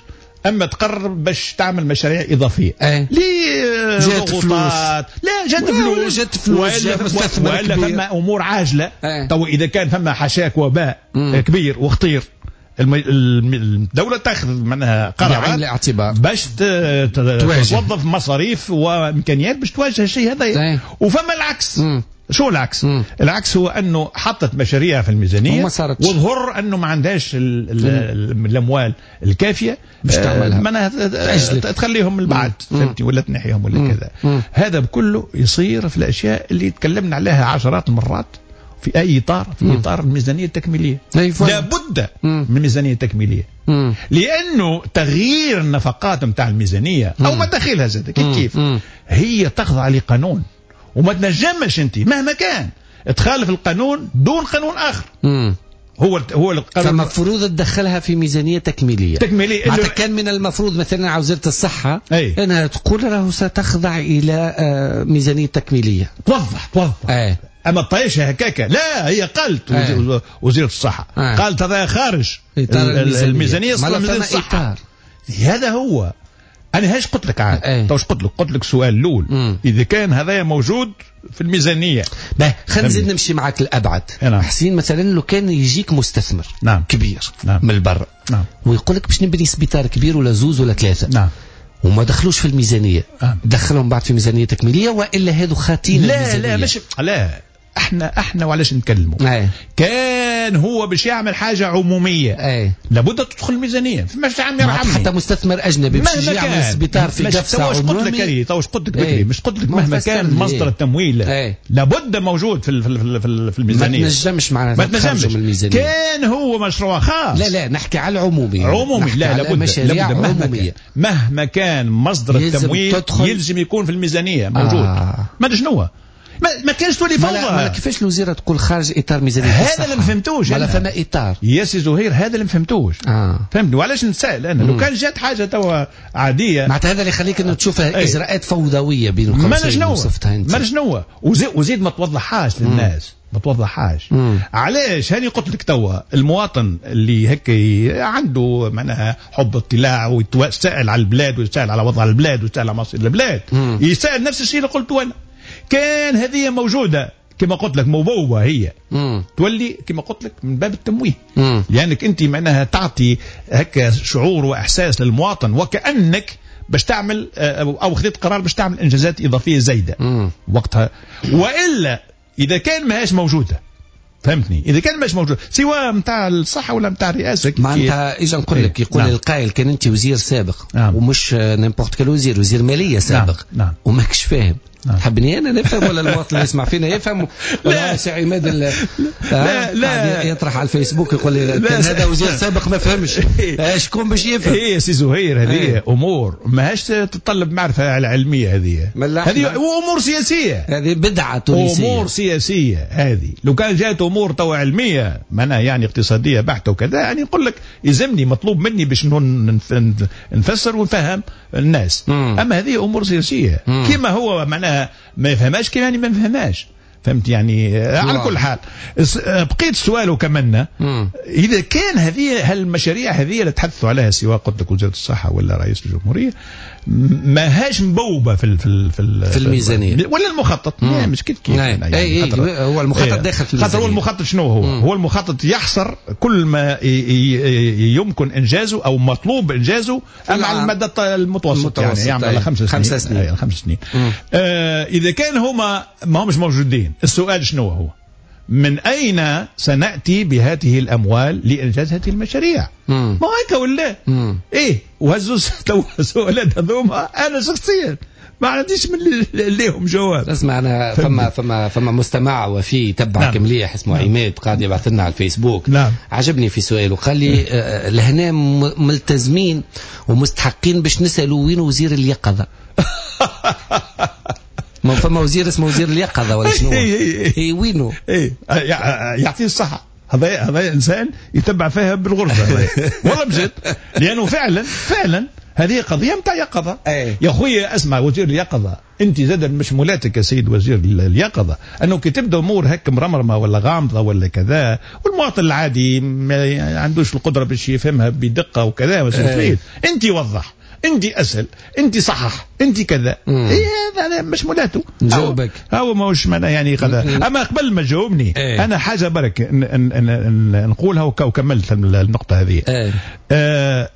اما تقرر باش تعمل مشاريع اضافية أي. ليه جات فلوس لا جات فلوس جات فلوس ولا, ولا فما امور عاجله. أي. تو اذا كان فما حشاك وباء مم. كبير وخطير الدولة تاخذ معناها قرارات بعين الاعتبار باش توظف مصاريف وامكانيات باش تواجه الشيء هذا. وفما العكس. مم. شو العكس؟ مم. العكس هو انه حطت مشاريع في الميزانية وظهر انه ما عندهاش الاموال الكافيه باش تعملها معناها تخليهم البعد فهمتي ولا تنحيهم ولا مم. كذا. مم. هذا بكله يصير في الاشياء اللي تكلمنا عليها عشرات المرات في اي اطار في مم. اطار الميزانية التكميليه. لابد مم. من ميزانية تكميليه. مم. لانه تغيير النفقات نتاع الميزانية مم. او مداخلها زاد كيف كيف مم. هي تخضع لقانون وما تنجمش انت مهما كان تخالف القانون دون قانون اخر. مم. هو هو القانون فالمفروض تدخلها في ميزانية تكميليه. تكميليه معناتها كان من المفروض مثلا على وزارة الصحة أي. انها تقول راهو ستخضع الى ميزانية تكميليه. توضح توضح أي. اما الطيشه هكاكا لا هي قالت أي. وزيره الصحة أي. قالت هذا خارج الميزانية الميزانية الصحة. هذا هو انا هاش قلت لك عاد تو قلت لك قلت لك سؤال الاول اذا كان هذايا موجود في الميزانية. باهي خلينا نزيد نمشي معك الابعد. نعم. حسين مثلا لو كان يجيك مستثمر نعم. كبير نعم. من البر نعم. ويقول لك باش نبني سبيطار كبير ولا زوز ولا ثلاثة نعم. وما دخلوش في الميزانية نعم. دخلهم بعد في ميزانية تكميليه والا هذو خاتين لا الميزانية؟ لا مش لا احنا احنا وعلاش نتكلموا أي. كان هو باش يعمل حاجة عموميه أي. لابد تدخل الميزانية فماش عم يرحمني حتى مستثمر اجنبي باش يجي يعمل سبيطار في قفصه عمومي. قلت لك اي تو قلت لك بكري مش قلت لك مهما كان مصدر التمويل أي. لابد موجود في في في, في الميزانية. ما تنجمش معناتها ما تنجمش من الميزانية. كان هو مشروع خاص لا لا نحكي على العمومي عمومي لا لابد لابد مهما كان مهما كان مصدر التمويل يلزم يكون في الميزانية موجود. آه. ما شنو ما, ما كانش تولي فوضى. ما كيفاش الوزيرة تقول خارج اطار ميزانية هذا اللي ما فهمتوش. ولا فما اطار يا سي زهير هذا اللي ما فهمتوش. آه. فهمتني وعلاش نتسائل انا لو كان جات حاجة توا عادية معناتها هذا اللي يخليك انه تشوفها أي. اجراءات فوضوية بين القوسين ما شنو ما شنو وزيد, وزيد ما توضحهاش للناس ما توضحهاش. علاش هاني قلت لك توا المواطن اللي هيك عنده معناها حب اطلاع ويتسائل على البلاد ويتسائل على وضع البلاد ويتسائل على مصير البلاد مم. يسأل نفس الشيء اللي قلته انا. كان هذه موجودة كما قلت لك مبوبة هي مم. تولي كما قلت لك من باب التمويه. مم. لأنك أنت معناها تعطي هكا شعور وإحساس للمواطن وكأنك باش تعمل أو خذيت قرار باش تعمل إنجازات إضافية زايدة مم. وقتها. وإلا إذا كان ماهاش موجودة فهمتني؟ اذا كان مش موجود سواء نتاع الصحة ولا نتاع الرئاسة. معناتها اجا نقول لك، يقول نعم. القائل كان انت وزير سابق، نعم. ومش n'importe quel وزير، وزير ماليه سابق، نعم. نعم. وماكش فاهم. نعم. تحبني انا نفهم ولا المواطن اللي يسمع فينا يفهم؟ ولا سي عماد لا لا, لا يطرح على الفيسبوك يقول لي كان هذا وزير سابق ما فهمش، شكون باش يفهم؟ اي سي زهير، هذه امور ماهاش تتطلب معرفة علمية، هذه هذه امور سياسية، هذه بدعة تونسية، امور سياسية هذه. لو كان جات امور تو علمية معناها يعني اقتصادية بحته وكذا، يعني نقول لك يلزمني مطلوب مني باش نفسر ونفهم الناس. مم. اما هذه امور سياسية كما هو معناها ما يفهمهاش كما يعني ما يفهمهاش، فهمت يعني؟ على كل حال بقيت سؤاله كمان، اذا كان هذه هالمشاريع هذه اللي تحدثوا عليها سواء قلت لك وزارة الصحة ولا رئيس الجمهورية ما هاش مبوبه في ال في ال في, ال في الميزانية ولا المخطط، مش كيف كيف يعني. اي اي هو المخطط ايه داخل في الميزانية. خاطر هو المخطط شنو هو؟ مم. هو المخطط يحصر كل ما يمكن انجازه او مطلوب انجازه اما على المدى المتوسط، يعني يعمل على خمس سنين، خمس سنين, خمس سنين. آه اذا كان هما ما همش موجودين، السؤال شنو هو؟ من أين سنأتي بهذه الأموال لإنجاز هذه المشاريع؟ ما هيك ولا؟ إيه وهزوز تو السؤالات هذوما أنا شخصيا ما عنديش من ليهم جواب. اسمع، أنا فما فما فما مستمع وفي تبعك نعم. مليح اسمه نعم. عماد قاعد يبعث لنا على الفيسبوك، نعم. عجبني في سؤاله، قال لي لهنا ملتزمين ومستحقين باش نسألوا وين وزير اليقظة. ما فما وزير اسمه وزير اليقظة ولا شنو؟ اي وينه؟ اي يعطيه الصحة، هذا هذا انسان يتبع فيها بالغرزة والله بجد، لانه فعلا فعلا هذه قضية نتاع يقظة. يا خويا اسمع، وزير اليقظة انت زاد مشمولاتك يا سيد وزير اليقظة انه كي تبدا امور هك مرمرمة ولا غامضة ولا كذا، والمواطن العادي ما عندوش القدرة باش يفهمها بدقة وكذا، انت وضح، انت اسهل، انت صحح، انت كذا. ايه هذا مش ملاته جاوبك هو ماهوش معناه يعني كذا. اما قبل ما تجاوبني ايه. انا حاجة برك نقولها وكملت النقطة هذه. ايه. آه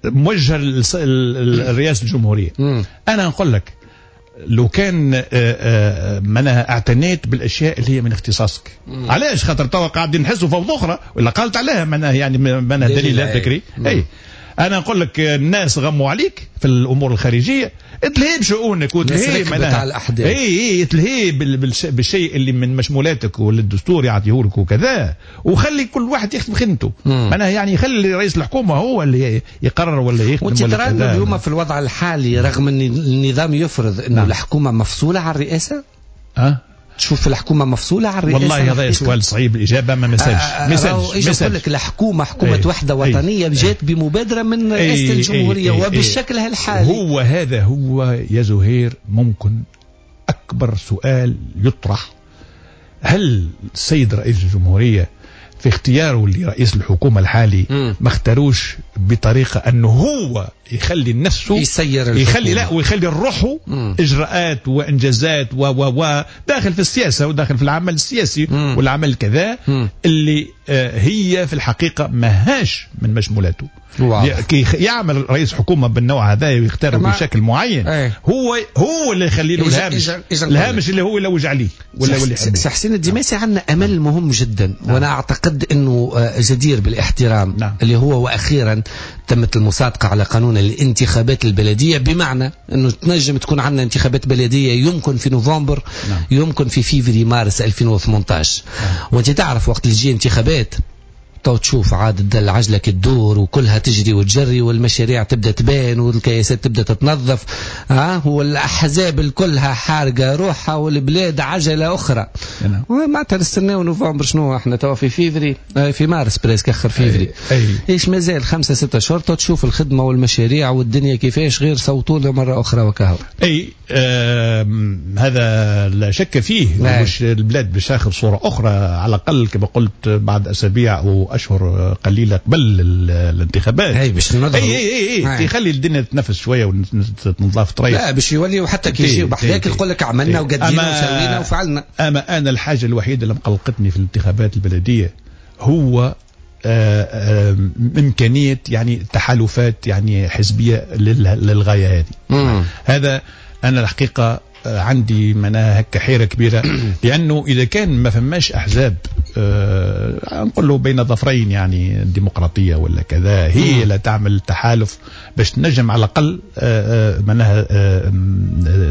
موجه لرئاسة الجمهورية. مم. انا نقول لك لو كان معناها اعتنيت بالاشياء اللي هي من اختصاصك. مم. علاش؟ خاطر توا قاعدين نحسوا فوضى اخرى ولا قالت عليها معناها يعني معناها دليل بكري. اي انا نقول لك الناس غموا عليك في الامور الخارجية، تلهي بشؤونك وتلهي معناها اي اي تلهي بالشيء اللي من مشمولاتك واللي الدستور يعطيه لك وكذا، وخلي كل واحد يخدم خدمته. معناها يعني خلي رئيس الحكومة هو اللي يقرر ولا يخدم. وانت ترى انه اليوم في الوضع الحالي رغم ان النظام يفرض انه نعم. الحكومة مفصوله على الرئاسة؟ أه؟ تشوف الحكومة مفصوله على الرئاسة؟ والله هذا سؤال صعيب الاجابة، ما مسالش مسالش ايش نقول لك، الحكومة حكومة ايه وحده وطنية ايه جات بمبادرة من رئاسة الجمهورية ايه وبالشكل ايه الحالي. هو هذا هو يا زهير ممكن اكبر سؤال يطرح، هل السيد رئيس الجمهورية في اختياره لرئيس الحكومة الحالي ما اختاروش بطريقة أنه هو يخلي نفسه يسير يخلي لا ويخلي روحه إجراءات وإنجازات و و و داخل في السياسة وداخل في العمل السياسي مم. والعمل كذا مم. اللي هي في الحقيقة ماهاش من مشمولاته. كي يعمل رئيس حكومة بالنوع هذا ويختاره بشكل معين ايه. هو هو اللي يخلي له الهامش، الهامش اللي هو يلوج عليه ولا اللي سي حسين الدماسي عندنا امل مهم جدا. نعم. وانا اعتقد انه جدير بالاحترام. نعم. اللي هو واخيرا تمت المصادقة على قانون الانتخابات البلدية، بمعنى انه تنجم تكون عندنا انتخابات بلديه يمكن في نوفمبر. نعم. يمكن في فيفري مارس ألفين وثمانية عشر. نعم. وانت تعرف وقت اللي تجي انتخابات تو تشوف عاد العجلة كتدور وكلها تجري وتجري والمشاريع تبدا تبان والكياسات تبدا تتنظف، ها والاحزاب كلها حارقه روحها والبلاد عجله اخرى. معناتها نستناو نوفمبر، شنو احنا توا في فيفري في مارس presque اخر فيفري، ايش مازال خمسة ستة اشهر تشوف الخدمة والمشاريع والدنيا كيفاش، غير صوتوا لها مرة اخرى وكهو. اي آه هذا لا شك فيه، مش البلاد باش تاخذ صوره اخرى على الاقل كما قلت بعد اسابيع او اشهر قليله قبل الانتخابات. اي باش اي اي اي, أي. يخلي الدنيا تتنفس شوية وتنظف طريق. لا باش يولي وحتى كي يجيو بحذاك يقول لك عملنا وقدينا وسوينا وفعلنا. اما انا الحاجة الوحيدة اللي مقلقتني في الانتخابات البلدية هو آآ آآ امكانية يعني تحالفات يعني حزبية للغاية هذه. مم. هذا انا الحقيقة عندي معناها هكا حيره كبيرة، لانه اذا كان ما فماش احزاب آه نقول له بين ظفرين يعني الديمقراطية ولا كذا، هي اللي تعمل تحالف باش تنجم على الاقل آه معناها آه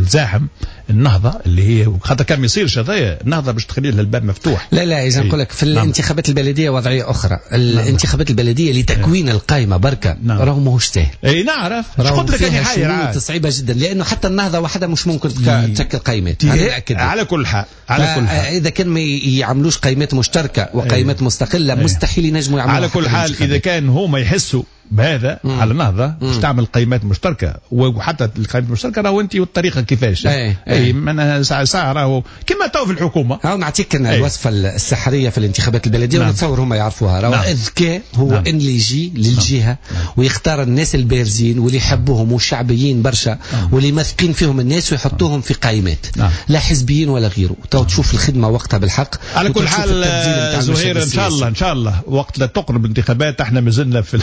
تزاحم النهضة اللي هي خاطر كان ما يصيرش هذايا النهضة باش تخلي لها الباب مفتوح. لا لا اذا نقول لك في نعم. الانتخابات البلدية وضعية اخرى. الانتخابات البلدية لتكوين نعم. القائمة بركة نعم. راهو ماهوش ساهل. اي نعرف قلت لك انا حاير صعيبة جدا، لانه حتى النهضة وحدها مش ممكن تشكل قائمات. على كل حال على كل حال اذا كان ما يعملوش قائمات مشتركة وقائمات مستقلة أيه. مستحيل ينجموا يعملوا. على كل حال اذا كان هما يحسوا بهذا مم. على النهضة باش تعمل قائمات مشتركة، وحتى القائمات المشتركة راهو انت والطريقة كيفاش اي اي معناها ساعة ساعة راهو كما تو في الحكومة. هاو نعطيك أنا الوصفة السحريه في الانتخابات البلدية. نعم. ونتصور هما يعرفوها. راهو نعم. الذكاء هو نعم. ان اللي يجي للجهة نعم. ويختار الناس البارزين واللي يحبوهم والشعبيين برشا نعم. واللي مثقين فيهم الناس ويحطوهم في قائمات نعم. لا حزبيين ولا غيره. تو تشوف الخدمة وقتها بالحق. على كل حال زهير ان شاء الله ان شاء الله وقت لا تقرب الانتخابات احنا مازلنا في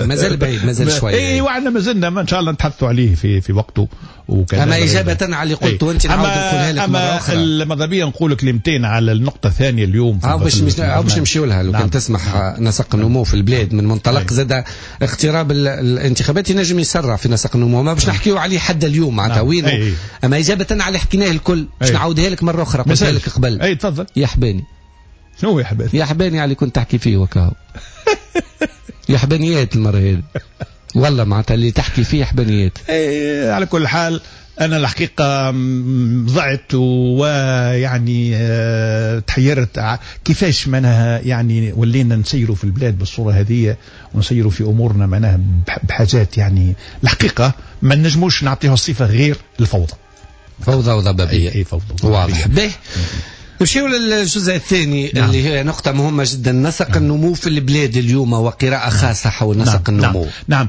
مازال بعيد مازال شوية. اي وعندنا مازلنا ان شاء الله نتحدثوا عليه في في وقته وكذا. اما اجابه على اللي قلته انت نعاود نقولها لك مرة اخرى. اما ماذا بيا نقول كلمتين على النقطة الثانية اليوم او باش باش نمشيو لها لو نعم. كان تسمح. نعم. نسق النمو في البلاد من منطلق زاد اقتراب الانتخابات ينجم يسرع في نسق النمو، ما باش نحكيو عليه حد اليوم معناتها وين. اما اجابه على اللي حكيناه الكل باش نعاودها لك مرة اخرى قلتها لك قبل. اي تفضل. يا حباني. شنو يا حباني؟ يا حباني على اللي كنت تحكي فيه وكاهو. يا حبانيات المرة هذه والله معناتها اللي تحكي فيه حبانيات. ايه على كل حال أنا الحقيقة ضعت ويعني تحيرت كيفاش معناها يعني ولينا نسيروا في البلاد بالصورة هذه ونسيروا في أمورنا معناها بحاجات يعني الحقيقة ما نجموش نعطيها صفة غير الفوضى. فوضى وضبابية. أي, أي فوضى. واضح. به نمشيو للجزء الثاني. نعم. اللي هي نقطة مهمة جدا، نسق نعم. النمو في البلاد اليوم وقراءة خاصة حول نسق نعم. النمو. نعم.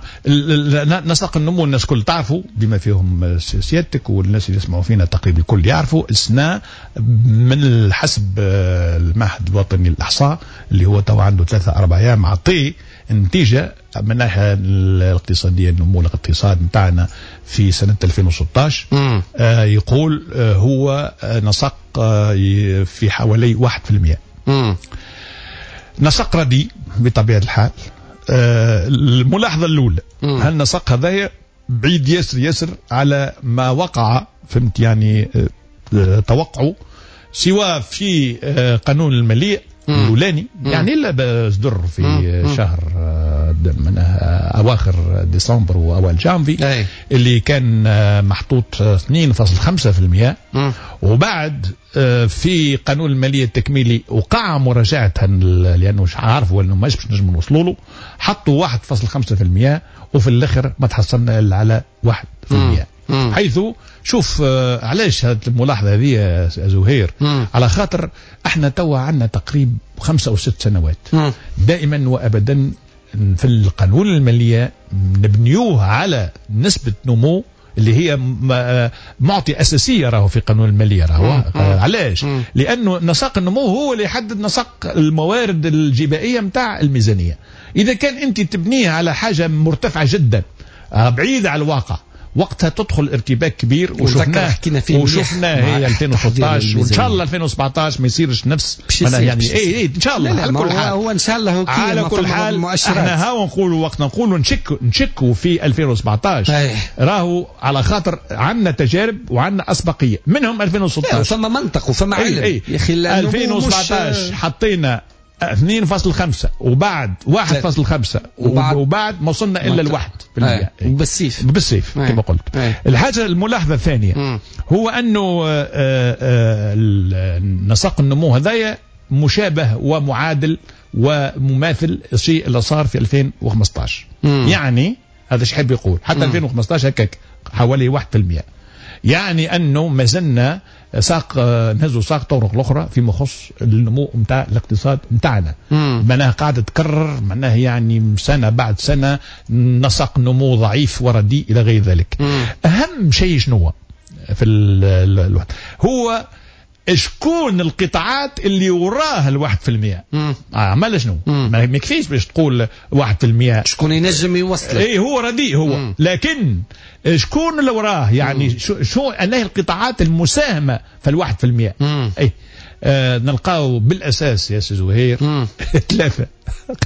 نعم نسق النمو الناس كل تعرفوا بما فيهم سيادتك والناس اللي يسمعوا فينا تقريبا الكل يعرفوا السنة من حسب المعهد الوطني للإحصاء اللي هو تو عنده ثلاثة أربع أيام عطية النتيجة من الناحية الاقتصادية النمو الاقتصاد نتاعنا في سنة ألفين وستة عشر آه يقول آه هو نسق آه في حوالي واحد في المئة. نسق رديء بطبيعة الحال. آه الملاحظة الأولى هل نسق هذايا بعيد ياسر ياسر على ما وقع فهمت يعني آه توقعه سواء في آه قانون المالية الأولاني يعني اللي صدر في مم. شهر من أواخر ديسمبر وأول جانفي أي. اللي كان محطوط اثنين فاصل خمسة في المئة. وبعد في قانون المالية التكميلي وقع مراجعتها لأنه مش عارفوا أنه ماش باش نجم نوصلوا له، حطوا واحد فاصل خمسة في المئة وفي الآخر ما تحصلنا إلا على واحد في المئة. حيث شوف علاش هذه الملاحظة هذه يا زهير؟ مم. على خاطر احنا توا عندنا تقريب خمسة أو ست سنوات مم. دائما وأبدا في القانون المالية نبنيوه على نسبة نمو اللي هي معطي أساسية راهو في قانون المالية راهو. علاش؟ لأنه نسق النمو هو اللي يحدد نسق الموارد الجبائية متاع الميزانية. إذا كان أنت تبنيه على حاجة مرتفعة جدا بعيدة على الواقع وقتها تدخل ارتباك كبير، وشفناه وشفناه هي ألفين وستة عشر وان شاء الله ألفين وسبعة عشر ما يصيرش نفس يعني اي اي ان شاء الله. على كل حال هو ان شاء الله على كل حال احنا هاو نقولوا وقت نقولوا نشك نشكوا في ألفين وسبعة عشر راهو على خاطر عندنا تجارب وعندنا اسبقيه منهم ألفين وستة عشر. فما منطق وفما علم يا اخي. ألفين وسبعة عشر حطينا اثنين فاصل خمسة وبعد واحد فاصل خمسة وبعد, وبعد ما وصلنا إلا الواحد بالمئة بالسيف بالسيف كما قلت. أي. الحاجة الملاحظة الثانية م. هو أنه نسق النمو هذايا مشابه ومعادل ومماثل الشيء اللي صار في ألفين وخمسة عشر. م. يعني هذا ايش حاب يقول حتى م. ألفين وخمسة عشر هكاك حوالي واحد بالمئة، يعني أنه ما زلنا ساق نهزوا ساق طرق الأخرى فيما يخص النمو نتاع الاقتصاد نتاعنا. معناها قاعدة تكرر، معناها يعني سنة بعد سنة نسق نمو ضعيف ورديء إلى غير ذلك. مم. أهم شيء شنو في الوقت هو شكون القطاعات اللي وراها الواحد في المئة. عمل شنو؟ ما يكفيش باش تقول واحد في المئة شكون ينجم يوصل. اي هو رديء هو. مم. لكن شكون اللي وراه يعني شو, شو أنه القطاعات المساهمة في الواحد في المئة. اي آه نلقاو بالاساس يا سي زهير ثلاثة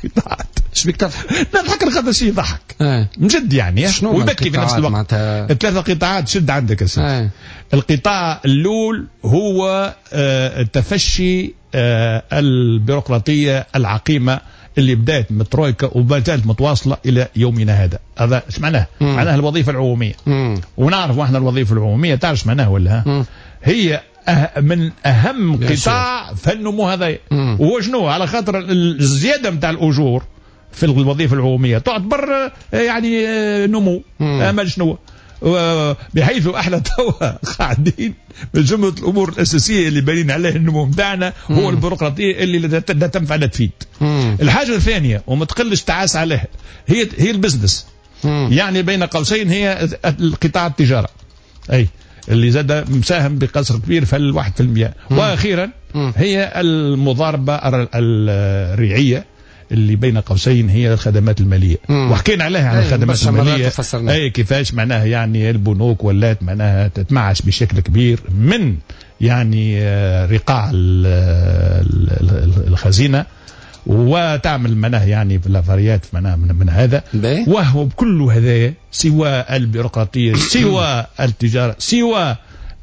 قطاعات. اش بيك تضحك؟ نضحك خاطر شيء يضحك آه. مجد يعني ويبكي في نفس الوقت. معناتها... ثلاثة قطاعات شد عندك يا سيدي. آه. القطاع الاول هو آه التفشي آه البيروقراطية العقيمه اللي بدات من الترويكا وما زالت متواصلة الى يومنا هذا. هذا ايش معناه؟ معناه الوظيفة العمومية. مم. ونعرف احنا الوظيفة العمومية تعرف معناها ولا؟ مم. هي أه من اهم قطاع في النمو هذا. وهو شنو؟ على خاطر الزيادة نتاع الاجور في الوظيفة العمومية تعتبر يعني نمو. اما شنو؟ بحيث احنا توا قاعدين من جملة الامور الاساسية اللي بانين عليه النمو نتاعنا هو البيروقراطية اللي لا تنفع لا تفيد. مم. الحاجة الثانية وما تقلش تعاس عليها هي هي ال business. مم. يعني بين قوسين هي القطاع التجارة اي اللي زاد مساهم بقصر كبير في الواحد في المئة. واخيرا مم. هي المضاربة الريعيه اللي بين قوسين هي الخدمات المالية. مم. وحكينا عليها على الخدمات المالية اي كيفاش معناها يعني البنوك ولات معناها تتمعش بشكل كبير من يعني رقاع الخزينة وتعمل معناها يعني في الافاريات معناها من, من هذا. وهو بكل هذا سوى البيروقراطية سوى التجارة سوى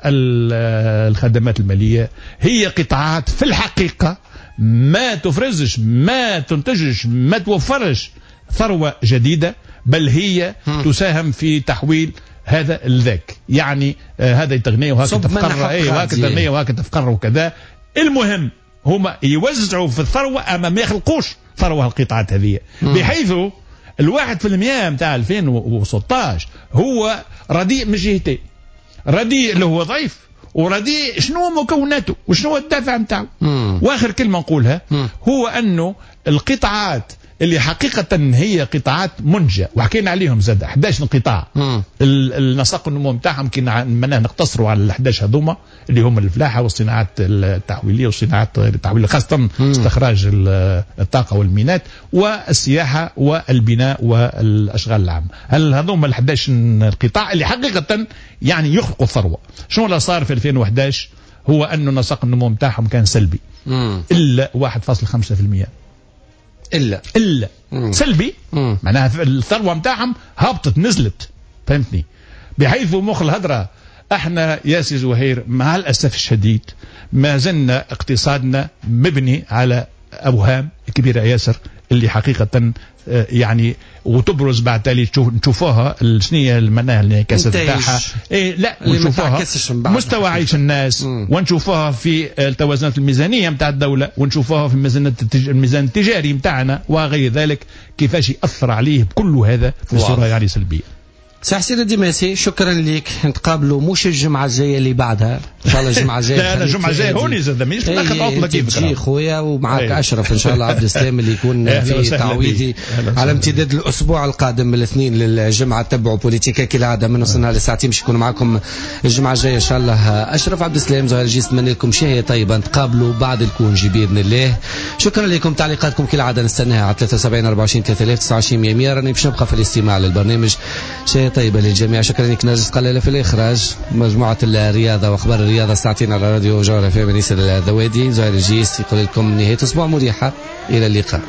الخدمات المالية هي قطاعات في الحقيقة ما تفرزش ما تنتجش ما توفرش ثروة جديدة، بل هي تساهم في تحويل هذا لذاك. يعني آه هذا يتغني وهكذا تفقر اي وهكذا تغني وهكذا تفقر وكذا. المهم هما يوزعوا في الثروة اما ما يخلقوش ثروة القطاعات هذه، بحيث الواحد في المئة نتاع ألفين وستطاش هو رديء من جهتين، رديء اللي هو ضعيف ورديء شنو مكوناته وشنو الدافع نتاعو. واخر كلمة نقولها مم. هو انه القطاعات اللي حقيقة هي قطاعات منجة وحكينا عليهم زاد أحد عشر قطاع، النسق النمو نتاعهم كي معناه نقتصروا على ال أحد عشر هذوما اللي هم الفلاحة والصناعات التحويليه والصناعات التحويليه خاصة استخراج الطاقة والمينات والسياحة والبناء والاشغال العامة. هل هذوما ال أحد عشر قطاع اللي حقيقة يعني يخلقوا الثروة؟ شنو اللي صار في ألفين وأحد عشر؟ هو انه نسق النمو نتاعهم كان سلبي مم. الا واحد فاصلة خمسة بالمئة الا الا مم. سلبي. مم. معناها الثروة نتاعهم هبطت نزلت، فهمتني؟ بحيث مخ الهدرة احنا يا سي زهير مع الاسف الشديد ما زلنا اقتصادنا مبني على اوهام كبيرة ياسر اللي حقيقة يعني وتبرز بعد تالي نشوفوها شنو معناها الانعكاسات نتاعها إيه لا ونشوفوها مستوى عيش الناس مم. ونشوفوها في التوازنات الميزانية نتاع الدولة ونشوفوها في الميزان الميزان التجاري نتاعنا وغير ذلك كيفاش ياثر عليه بكل هذا بصورة يعني سلبية. سي حسين الدماسي شكرا لك، نتقابلوا مش الجمعة الجاية اللي بعدها ان شاء الله. الجمعة الجاية لا لا الجمعة الجاية هوني زاد مانيش ناخذ عطله كيفك تجي خويا ومعك اشرف ان شاء الله عبد السلام اللي يكون في تعويضي على امتداد الاسبوع القادم من الاثنين للجمعة. تبعوا بوليتيكا كالعادة من وصلنا لساعتين باش يكون معكم الجمعة الجاية ان شاء الله اشرف عبد السلام زهير جيس. نتمنى لكم شهية طيبة، نتقابلوا بعد ال congé باذن الله. شكرا لكم، تعليقاتكم كالعادة نستناها على ثلاثة وسبعين أربعة وعشرين ثلاثة آلاف تسعة وعشرين مية. راني باش نبقى في الاستماع للبرنامج. شهية طيبة للجميع. شكرا لك نرجس قلالة في الإخراج، مجموعة الرياضة وأخبار الرياضة ساعتين على راديو جوهرة في أنيس الذوادي. زهير الجيس يقول لكم نهاية أسبوع مريحة، إلى اللقاء.